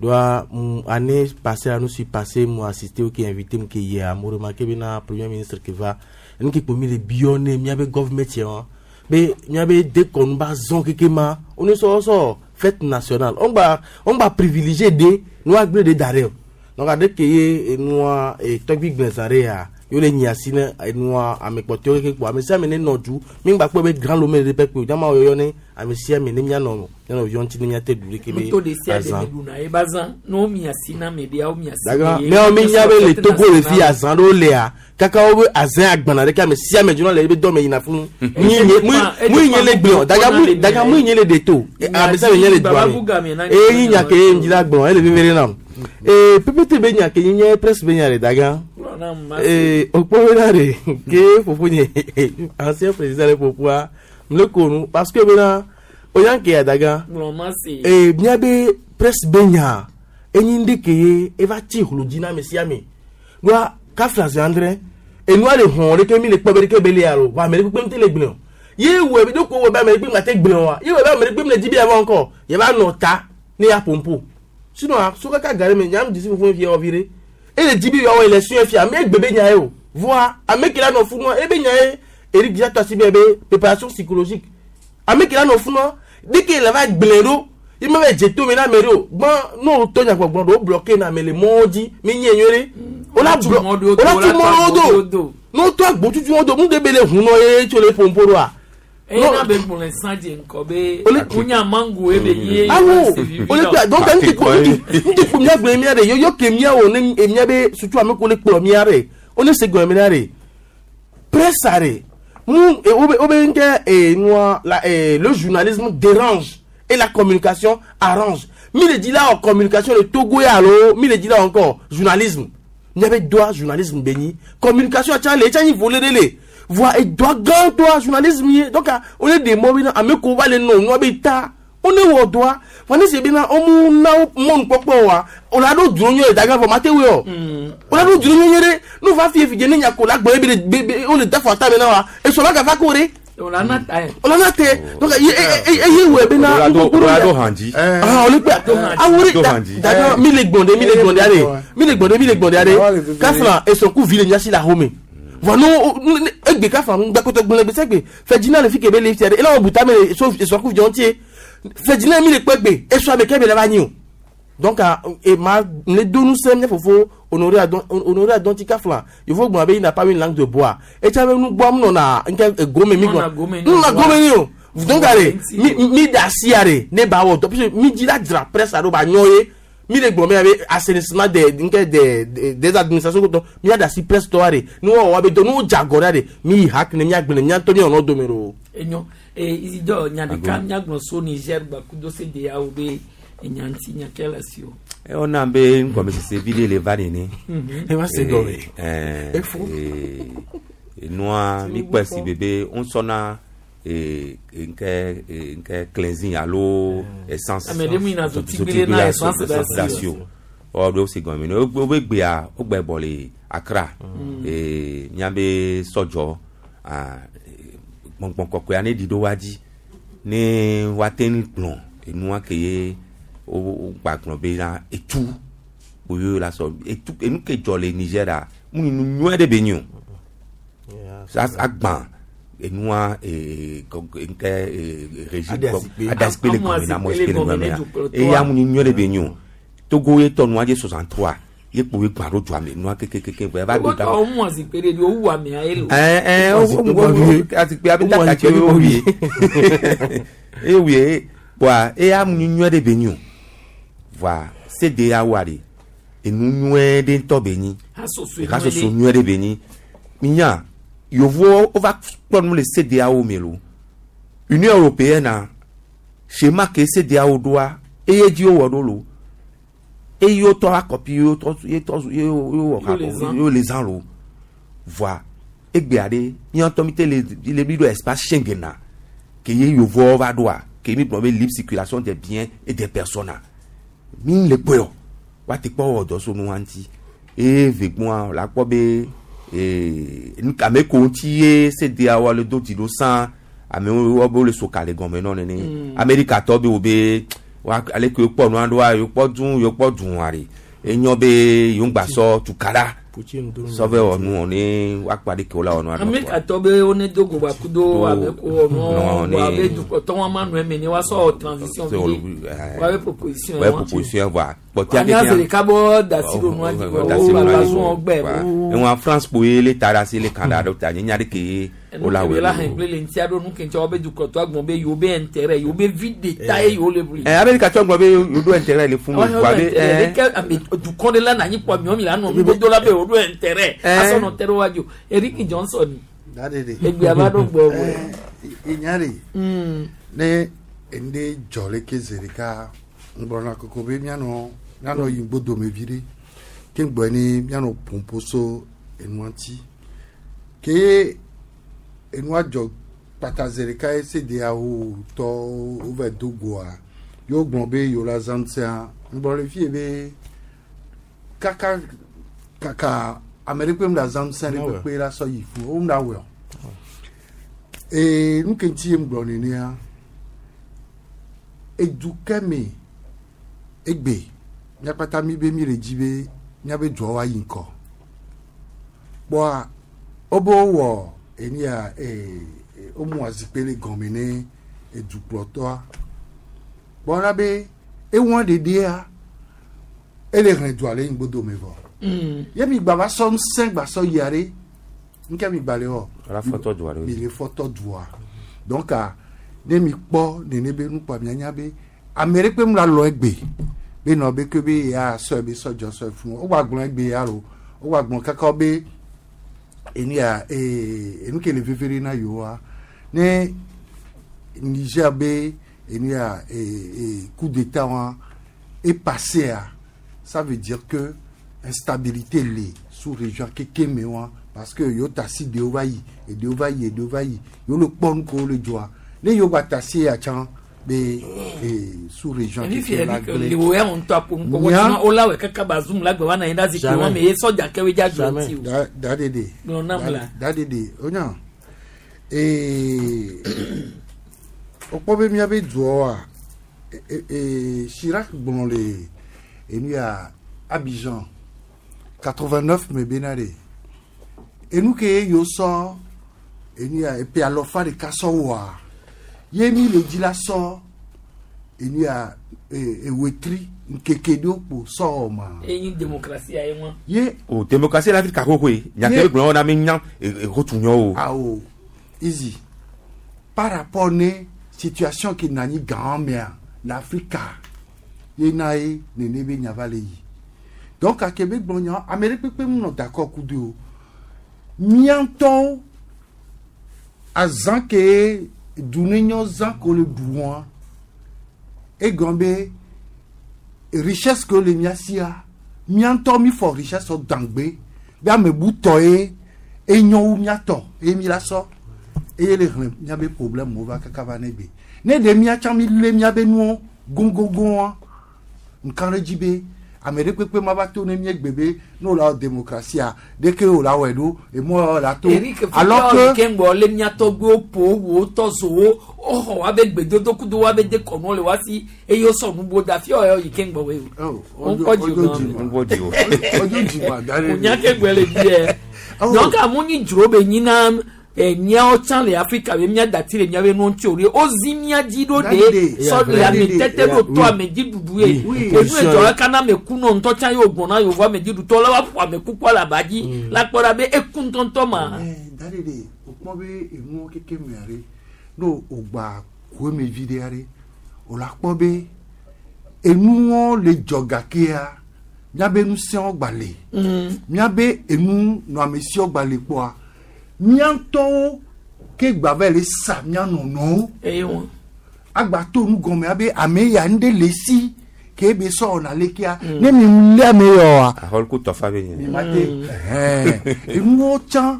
doa mu année passée la nu si passé mu assisté wo ke invité mu ke yia mo remarqué bena premier ministre ke va enu ke kpo mi le biɔ ne miabe government yɛ wa Be miabe dekɔnu ba zɔn keke ma wone sɔ sɔ fête nationale. On gba on gba privilégié de nua gblẽ de da ɖe o. Donc aɖe ke ye enua tɔgbi gblẽza ɖe ya yo le nyi asi ne enua ame kpɔtɔewo keke kpo ame sia ame ne nɔ du mi ŋgba kpɔe be grand lome ɖe pɛ kpe o jama yɔyɔ ne ame sia ame ne mianɔ mianɔ yɔ ŋuti ne miate ɖu ɖeke be Nuto ɖe sia ɖe azã. me ɖuna ye ba zã ne womi asi na ame ɖea womi asi Daga ne ye. miawo mi nya be le Fête Togo le fi nationale. azã ɖewo lea kaka wo be azã agbana ɖeke ame sia ame dzona le ebe dɔme yina funu. Mu mu nye le gblɔ daga mu daga mu nye le de to ame sia ame nye le doa me. Eye nya ke ye ŋdzi la gblɔ ele veve ɖe nam. Ee pépété be nya ke nye nye presse be nya le daga. Ee okpɔ bena ɖe ke fofo nye ancien président le fofoa mle ko nu parce que bena oyan ke ya daga. Gblɔ ma se. Ee miabe presse be nya enyi ŋɖe ke ye eva tsi hlo dzi na ame sia ame. Ɖoa kafla zi andre enua le hɔn ɖeke mi le kpɔ be ɖeke be le alo vɔ ame ɖe kpekpe ŋuti le gblẽ o. Ye wɔ be ɖoko wɔ be ame ɖe kpe ŋgate gblẽ oa ye wɔ be ame ɖe kpe le dzi be yava ŋkɔ yava nɔ ta ne ya ƒompo. Sinon so kaka ga ɖe me nyam dzisi fofo fia wɔ vi ɖe. Ele dzi be yeawɔ élection fia ame egbe be nya ye o. Voa ame ke la nɔ funua ebe nya ye Eric Dzia tɔ asi be be préparation psychologique. Ame ke la nɔ funua dès que le va gblẽ ɖo ye ma va dze tome na ame ɖe o gbã ne wotɔ nyagbɔgblɔ ɖewo bloqué na ame le mɔwo dzi mi nye nyuie ɖe. Wola Tu blo mɔ ɖewo do, wola tu wola mɔ tu ɖewo agbo do. do. Ne wotɔ agbotutu wo do nu ɖe be le hunɔ ye tso le ƒompo ɖoa. Eye na be gblɔ sã dze ŋkɔ be wonya mango ye be ye. Awo ole kpe donc ŋuti kpo ŋuti kpo mía gblẽ mía ɖe yɔyɔ ke mía wɔ ne mía be sutu ame ko le kplɔ mía ɖe wone se gɔme mía ɖe presse ɖe mu wobe wobe ŋkɛ nua la le journalisme dérange et la communication arrange. Mi le dzi la wɔ communication le Togo ya alo mi le dzi la wɔ encore journalisme. Mía be doa journalisme be nyi communication tsa le etsa nyi volet ɖe le voa edoa gãtɔa journalisme ye donc wole ɖe mɔ bena ame ko va le nɔ nua be ta wone wɔ dɔa vɔ ne se bena womu na wo mɔnukpɔkpɔ oa wola ɖo dro nyuie le daga vɔ mate woe o wola ɖo dro nyuie ɖe ne wova fie fi dze ne nya ko la gbɔ ye be le be be wole da fɔ ata me na wa esɔ la gava ko ɖe Wola na ta ye. wola na te donc ye eye eye wɔe bena Wola do- wola do han dzi. ah wole kpe awo ɖe Do da han dzi. daga mi le gbɔn ɖe mi le gbɔn ɖe aɖe mi le gbɔn ɖe mi le gbɔn ɖe aɖe kafla esɔnku vi le miasi le ahome vɔ no egbe kafla ŋgbɛkɔtɔ gblẽ gbe sɛgbe fɛdzina le fi ke be le fia ɖe ela wɔ buta me le so esɔnku vi ŋutie fɛdzina mi le kpɔ egbe esɔ ame ke be le va nyi o donc ah, e ma ne do ŋusẽ mía fofo Honoré Adon Honoré Adonti kafla yevo gblɔ be il n'a pas une langue de bois etsa be nu gbɔ nɔna nke egome mi Nɔna gblɔ gome ni nɔna bois. gome ni o donc ale mi mi da asi are ne ba wɔ dɔ parce que mi dzi la dzra presse alo ba nyɔ ye mi le gblɔ mi abe assainissement des nke des des des administrations kotɔ mi da asi presse tɔ are ne wɔ wɔ abe dɔ ne wo dze agɔ ɖe are mi yi hak ne mia gblẽ mia ŋutɔ mi wɔ dome ɖo. Enyo ee Isidore nya ɖeka míagblɔ so Niger gbakudo CEDEAO be enya ŋuti nya ke le asi o. Ewɔna be ŋgɔmesese vi ɖe le va nene. Eva se gɔme. Efo. Enua mi kpɔe si bebe ŋusɔna nke nke cleansing alo essence. Ame ɖe mu yina zotigbele na essence ɖe asi o. ɖe asi o. Ɔ ɖewo si gɔme ne wobe gbea wogbe bɔ le Accra. Miabe sɔdzɔ ah, gbɔngbɔn kɔkɔea ne ɖi ɖo wa dzi ne woate ŋu gblɔ enua ke ye wo wogba gblɔ bena etu kpoyo la sɔ etu enu ke dzɔ le Nigeria mu nu nyuie ɖe be nyi o agbã enua nke régime Ade asikpe. ade asikpe le Amu gɔme na amu asikpe asikpe le le gɔme gɔme ne na dukplɔtɔa. eya mu nu nyuie ɖe be nyi o Togo ye tɔ nua dze 63 ye kpoe gbã ɖo dua me nua kekekeke vɔ eva do Togo da tɔwo mu azikpe ɖe ɖi wowu amea ye lo. ɛɛ asikpe abe tata tse wo wie ewie bɔa eya mu nu nyuie ɖe be nyi o voa CEDEAO ɖe enu nyuie ɖe ŋutɔ be nyi Hasoso hasoso nyuie ɖe be nyi minya yevuwo wova kpɔ nu le CEDEAO me lo Union européenne na schéma ke CEDEAO ɖoa eye dzi wowɔ ɖo lo eye wotɔ akɔpi ye wotɔ ye tɔ ye wowɔ Yo le zã. ye le zã lo voa egbea ɖe míatɔ mi te le le mi ɖo espace Schengen na ke ye yevuwo va ɖoa ke mi gblɔ be libre circulation des biens et des personnes a mi le kpɔe o woate kpɔ wɔ dɔ so nua ŋuti eye vegbɔa la kpɔ be nu ame ko ŋuti ye CEDEAO le do dzi ɖo sã amewo wo be wole soka le gɔme nɔ nene. Amerikatɔ be wo be wa ale ke wokpɔ nua ɖoa yewo kpɔ dũ yewo kpɔ dũa ɖe enyɔ be yewo ŋgba sɔ tukaɖa Sɔvɛ wɔ nu ne woakpa ɖe ke wo la wɔ nua. Amerika tɔ be wo ne do go ba kudo abe ko wɔ nua wa be dukɔtɔ wa ma nɔ eme ne wa sɔ transition vi wa be proposition wa proposition voa kpɔtɛ anya se ɖeka bɔ dasi ɖo nua dzi wo ba zu wɔn gbɛ. Ewa France kpoe le ta ɖe asi le Canada ɖo ta nye nya ɖe ke wo la wɔ. La hɛn kple le ŋutia ɖo nu ke ŋutia wo be dukɔtɔ agbɔn be yewo be intérêt yewo be vi de ta ye yewo le ʋli. Ɛ Amerika tɔ gblɔ be yewo ɖo intérêt le fún mi voa be ɛ. Ɖeke ame dukɔ ɖe la na anyi kpɔ miɔ mi la nɔ nugodo la be yewo ɖo intérêt asɔ nɔ te ɖe wa dzo Eric Johnson. Egbea va ɖo gbɔ wɔ. Enya ɖe. Ne ŋɖe dzɔ le ke zi ɖeka ŋgblɔna koko be mianɔ mianɔ yi ŋgbodome vi ɖe ke ŋgbɔ ni mianɔ ƒoƒo so enua ŋuti ke enua dzɔ kpata zi ɖeka ye CEDEAO tɔwo wova do goa yewo gblɔ be yewo la zã ŋusẽa ŋgblɔ le fie be kaka kaka ame ɖe kpe ŋu la zã ŋusẽ ɖe kpekpe la sɔ yi fu wo ŋu la wɔe o ee nu ke ŋuti ye ŋgblɔ nenea edu ke me egbe míakpata mi be mi le dzi be míabe dua wa yi ŋkɔ kpɔa wobe wowɔ enia ee womu azikpui le gɔme ne edukplɔtɔa kpɔna be ewɔn ɖeɖea ele hlẽ dua le ŋgbodome vɔ ye mi gba va sɔ ŋusẽ gba sɔ yia ɖe nke mi gba le wɔ Ala fɔtɔ dua ɖe. Mi le fɔtɔ dua donc ne mi kpɔ nene be nukpɔ mianya be ame ɖe kpe mu la lɔ egbe be nɔ be ke be ya sɔ be sɔ dzɔ sɔ fún wo gba gblɔ egbe ya lo wo gba gblɔ kaka be enu ya ee enu ke le veve ɖe na yewoa ne Niger be enu ya ee coup d'état wa est passé à ça veut dire que instabilité le sous région keke me wa parce que yo tasi de va yi et de va yi et de va yi yo le kpɔ nu ko le dzɔa ne yo gba tasi ya tsã be sous région keke la gblẽ. Le wo ya ŋutɔ aƒo nu kɔkɔ tsã wo la wɔ kaka ba zoom la gbe wa na yi ɖe zikpui wa me ye sɔdza kewoe dza dzɔ ŋuti o. Da dede. Gblɔ nam la. Da dede o nya ee wokpɔ be míabe dua Chirac gblɔ le enu ya Abidjan 89 me bena ɖe enu ke ye yewo sɔ enu ya epe alɔfa ɖeka sɔ wɔa ye mi le dzi la sɔ enu ya ewetri nkeke ɖewo kpo sɔ wɔ ma. Eyi démocratie ya ye ŋua. Ye. O démocratie la Afrika xoxoe nyake be gblɔ na mi nya ekotu nyɔ o. Awo easy par rapport ne situation ke na anyi gã mea le Afrika ye na ye nene be nya va le yi donc ake be gblɔ nya ame ɖe kpekpe mu nɔ d'accord kudo o mía ŋutɔwo azã ke dunenyo zã ko le ɖu wɔa egɔn be richesse ke le mía sia mía ŋutɔ mi fɔ richesse dangbe be ame bu tɔ ye enyo wu mía tɔ ye mi la sɔ eye le hlẽ míabe problème wo va kaka va ne gbe ne ɖe mía tsã mi lé míabe nuwo goŋgoŋgoa nka ɖe dzi be ame ɖe kpekpe ma va to ne míegbe be ne wo la wɔ démocratie ɖeke wo la wɔe ɖo emɔ la to. Alors que ke ŋgbɔ le mía tɔgbuiwo ƒo wo tɔ zowo woxɔ wa be gbedodo kudo wa be dekɔnuwo le wa si eye wosɔ nubo da fi ɔyɔ yi ke ŋgbɔ we o. Ŋkɔ dzi o. Ŋkɔ dzi o. Ɔdzo dzi ma da ɖe. Nya ke ŋgbɔ le dzi yɛ. Donc amu nyi dzro be nyina míawo tsã le Afrika be mía dati le míabe nuwo ŋuti o ɖe wozi mía dzi ɖo ɖe sɔ le ame tete ɖo to ame dzi ɖuɖu ye enu edzɔ la kana ame ku nɔ ŋutɔ tsã ye wògbɔna na yevu ame dzi ɖutɔ la woaƒo ame kukua le aba dzi la kpɔ ɖa be eku ŋutɔŋutɔ ma. Da ɖe ɖe wòkpɔ be enuwo keke mea ɖe ne wògba koe me vi ɖe aɖe wòla kpɔ be enuwo le dzɔ gakea míabe ŋusẽwo gba le míabe enu nɔamesiwo gba le kpɔa mía ŋutɔwo ke gba va le sa mía nɔnɔwo agba to nu gɔme abe ame ya ŋɖe le si ke be sɔ wɔna lekea ne mi lé ame yɔ wa. Ahɔl ko tɔfa be nye. Mi ma te ɛhɛn enuwo tsã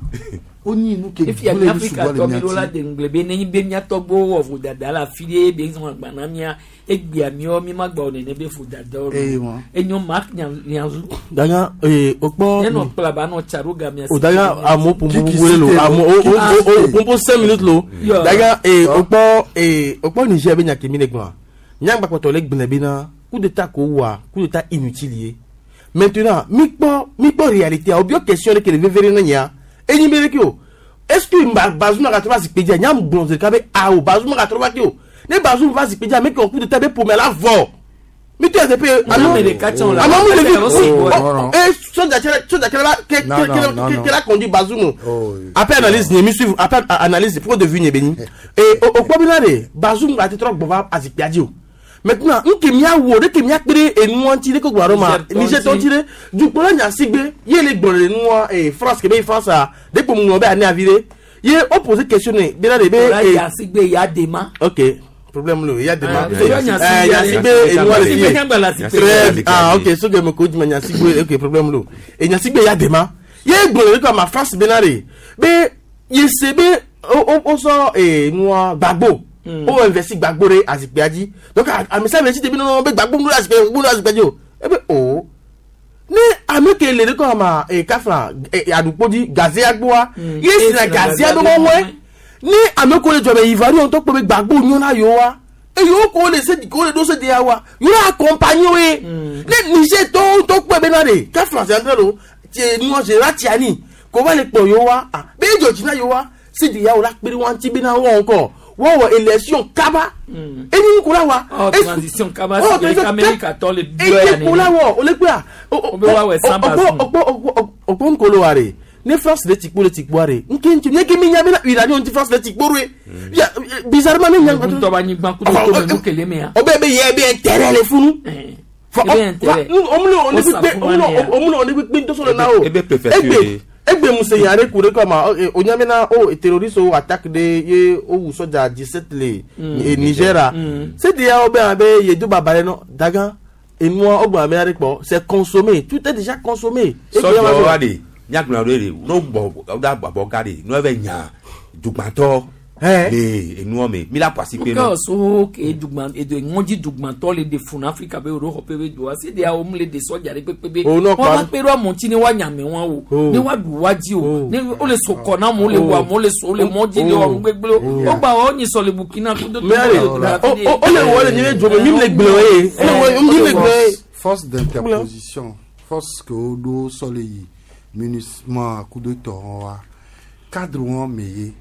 wonyi nu ke Efia gblẽ nu Afrika sugbɔ le tɔ mi mía ɖo la ti. de ŋugble be nenyi be mía tɔgbuiwo wɔ vodada le afi ɖe be zɔn agba na mía egbea míawo mi ma gba wɔ nene be vodada wo Eye wa. enyo Mark Nyanzu Danya ee o kpɔ. ne nɔ kplaba nɔ tsa ɖo gamia. O danya amewo ƒoƒo wele lo amewo o o o ƒoƒo 5 minutes lo. Danya ee o kpɔ ee o kpɔ Niger be nya ke mi le gblɔa. Nyagbakpɔtɔ le gblẽ bena coup d'état ko wa coup d'état inutile ye. Maintenant, mi kpɔ mi kpɔ réalité a o bio question ɖe ke le veve ɖe ne nyea enyi be ɖeke o. Est-ce que Bazoum gatrɔ va zikpui dzia? Nyam gblɔ zi ɖeka be awo Bazoum gatrɔ va ke o. Ne Bazoum va zikpui dzia, ame ke wɔ coup d'état be ƒome la vɔ. Mi tɔ ɛsɛ pe alo ame ɖeka tsã o la. Ame mu Ese ɖevi yɛrɛ si bɔ. e sɔdza tsɛ sɔdza tsɛ la ke Non, ke non, ke non, ke non. ke la conduit Bazoum. Oh, Après analyse nye mi suivre après analyse point de vue nye be nyi. E o o kpɔ bena de Bazoum gate trɔ gbɔ va azikpuia dzi o. Maintenant, nke mia wo ɖe ke mia kpe ɖe enua ŋuti ɖe ko gblɔ ɖo ma Niger Niger tɔ ŋuti ɖe dukplɔla nya sigbe ye le gblɔ le nua e France ke be France a ɖe kpo ŋlɔ be ane avi ɖe ye o pose question ne bena de be Ola e yasigbe ya dema. Ok, problème le ya dema. Ah, ya Eh, Yasigbe enua le Yasigbe fie. nyangba la sikpe. Très bien. Ah, ok, so que me ko di Yasigbe, ok, problème le. E Yasigbe ya dema. Ye gblɔ le ko ma France bena de be ye se be o o o sɔ e nua Gbagbo. O investi Gbagbo ɖe azikpuia dzi. Donc ame sia ame si te bi nɔ be Gbagbo ŋu ɖe azikpui ŋu ɖe azikpuia dzi o. Ebe o ne ame ke le ɖe kɔ ma e kafla e aɖukpo dzi gazea gbɔa ye Ye sina sina gazea gazea be be wɔwɔe wɔwɔe. ne ame ko le dzɔme Ivoirien ŋutɔ kpɔ be Gbagbo nyo na yewoa eye wo ko le se ko le ɖo se de wa yewo accompagner wo ye ne Niger tɔwo ŋutɔ kpɔe bena de kafla se andre lo tse nua Général Tiani ko va le kplɔ yewoa ah be edzɔ dzi na yewoa se de ya wo la kpe ɖe wa ŋuti bena wɔn kɔ wɔwɔ élection kaba enyi ŋku la wa. Oh, transition kaba si ke Amerika tɔ le biɔ ya eye ko la wɔ o le kpe a. O be wa wɔ sans Bazoum. Ɔkpɔ nkolo wa de ne France le tikpo le tikpoa de nke ŋuti nye ke mi nya bena uranium ŋuti France le tikpo ɖoe ya bizarrement ne nya. Ŋutɔ ba nyigba kudo to me nu kele mea. O bɛ bɛ yɛ bɛ intérêt le funu. Ebe intérêt. Omuna O sa fún wa ne ya. omuna one kpekpe ntɔsɔ le na o. Ebe préfecture Egbe ye. egbe musenya ɖe ku ɖe kɔ ma o nya bena o terroriste wo attaque ɖe ye o wu sɔdza 17 le e Niger a. Se de ya wo be abe yedo baba ɖe nɔ dagan enua o gbɔn ame aɖe kpɔ c'est consommé, tout est déjà consommé. Sɔdzɔ wa de nyagblɔ ɖe de n'o bɔ o da bɔ ga de n'o bɛ nya dugbãtɔ le enua me mi la kɔ asi pe Nka so ke dugban edo ŋɔdzi dugbãtɔ le de funu Afrika be ɖo xɔ pe be doa se de awo mu le de sɔdza ɖe kpekpe be. Oh, non, Wɔn va quoi. kpe ɖo amewo ne wa nyame wɔn o Oh. ne wa ɖu wa dzi o ne wo le so kɔ na amewo le Oh. wɔ amewo le so wo le mɔ dzi le Oh. wɔ nu gbegblẽwo. Wo gba wɔ nyi sɔ le Burkina kudo Mais allez, Togo, o o o le wɔ le nye be dzome mi le gblɔ ye o le wɔ mi le gblɔ ye. Force d'interposition, force que woɖo sɔ le yi MINUSMA kudo tɔwo wa cadre wɔn me ye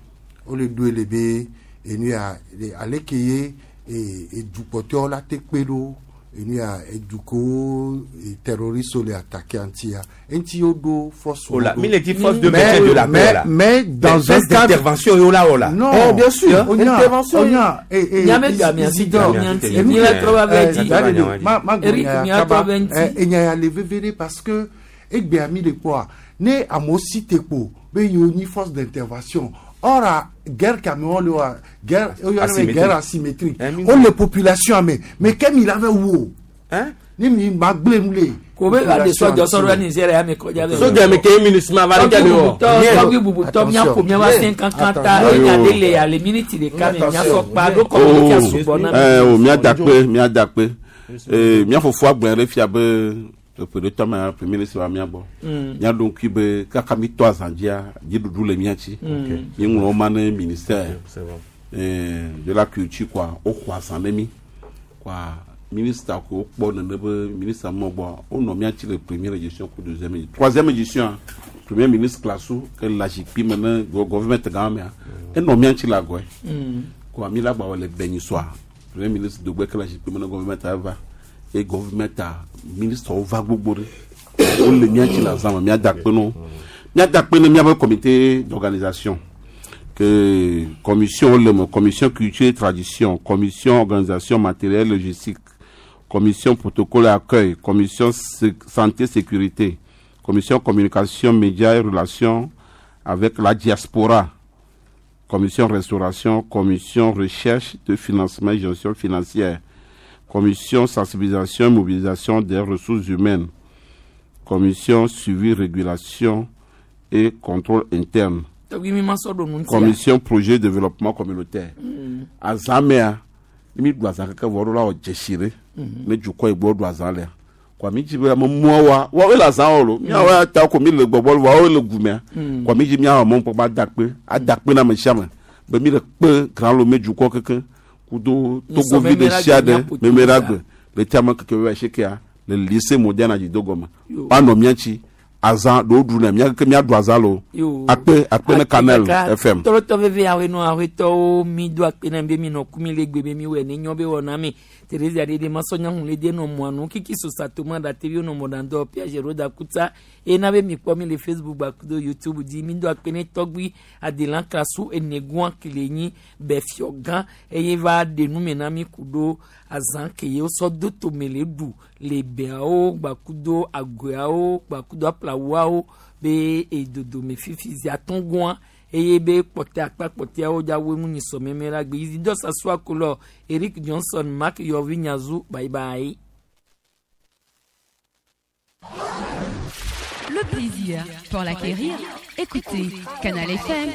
wole ɖoe le be enu ya le- aleke ye e edukpɔtɔwo la te kpe ɖo enu ya edukowo e, terroriste le attaqué ŋutia eŋuti woɖo force Oh là, wɔn ɖo. mi le di force de Mais- maintien de la paix mais- là. mais dans Mais un force cadre d'intervention yo la o la. Non, Eh, bien sûr, Onya, intervention. Onya, eh, eh, Nyame gba mia si Isidore, gba mia ŋuti. eh, Mi la trɔ va vɛ dzi. Daddy do, ma Eric, gbonya mi ya la trɔ kaba, vɛ ŋuti. eh, enya ya le veve ɖe parce que egbea mi le kpɔa ne amewo si te kpo be yewo nyi force d'intervention or a guerre ke amewo le wa guerre woyɔna be Asymétrique. guerre asymétrique Eh, mi- wole population me mais ke mi la ve wu o ne mi ma gblẽ nu le Ko be va de population sɔdzɔ sɔ ɖo ŋuti. Nigeria me kɔdza be. Sɔdza me ke MINUSMA va ɖe Tɔgbi ke wɔ. bubutɔ tɔgbi bubutɔ miaƒo miava se kankan ta enya ɖe le ale miniti ɖeka me miasɔ kpa ɖo kɔmiti asugbɔ na mi. Eh, o míadakpe míadakpe Eh, mía fofoa gblɔe ɖe fia be eƒe ɖe tɔ mea premier ministre va mía gbɔ. Míaɖo ŋkui be kaka mi tɔ azã dzia dziɖuɖu le mía tsi. Míeŋlɔ wo ma ne ministère C'est bon. eh, de la culture quoi woxɔ azã ne mí quoi ministre ko wokpɔ nene be ministre mɔ gbɔ wonɔ mía tsi le première édition ku deuxième édition troisième édition premier ministre Klassou ke le zikpui me ne gouvernement gã mea enɔ mía tsi le agɔe quoi mi la gba wɔ le Benissoa premier ministre Dogbe ke le zikpui me ne gouvernement va ye gouvernement ministre wo va gbogbo ɖe wole mía tsi le azã me mía da kpe no mía da kpe ne míaƒe comité d'organisation que commission le me commission culture et tradition, commission organisation matérielle logistique, commission protocole et accueil, commission santé sécurité, commission communication médias et relations avec la diaspora, commission restauration, commission recherche de financement et gestion financière, commission sensibilisation et mobilisation des ressources humaines, commission suivi, régulation et contrôle interne, Tɔgbi mi ma sɔ ɖo nu ŋutia. commission projet développement communautaire. Azã mea, ne mi ɖu azã keke vɔ ɖo la wɔ dzesi ɖe. Ne dukɔ yi gbɔ ɖu azã lea. Kɔa mi dzi be ame muawoa, woawoe le azã wɔ lo. Miawoe ya ta ko mi le gbɔgbɔ lo, woawoe le gumea. Kɔa mi dzi miawɔ mɔnukpɔkpɔ ada kpe, ada kpe na ame sia ame. Be mi le kpe Grand Lomé dukɔ keke kudo Nyisɔ Togovi meme ɖe la sia gbe ɖe miaƒo meme la to gbe. Le tia me keke be asikea, Le lycée moderne adzido gɔme. Woanɔ mía ŋtsi azã ɖewo ɖu ne mía ke míaɖu azã lo. Yo. Akpe akpe ne Canal FM. Tɔlɔtɔ veve awenɔ awetɔwo mi do akpe na be mi nɔ kumi le gbe be mi wɔ ne nyɔ be wɔ na mi. Teresa ɖeɖe masɔnya hun le de nɔ mɔanu kiki sosa toma da tevi nɔ mɔdandɔ Piaget Roda Kuta ena be mi kpɔ mi le Facebook gbakudo YouTube dzi mi do akpe ne tɔgbi Adelan Klasu enegua kele nyi bɛfiɔ gã eye va ɖe nu me na mi ku ɖo azã ke ye wosɔ do tome le ɖu le bɛawo gbakudo agoawo gbakudo aplawuawo be edodome fifi zi atɔ̃ eye be kpɔtɛ akpa kpɔtɛawo dza wo ŋu nyisɔ mɛmɛ la gbe Isidore Sasua Kolɔ Eric Johnson Mark Yɔvi Nyazu bye bye. Le plaisir, pour l'acquérir, écoutez Canal FM.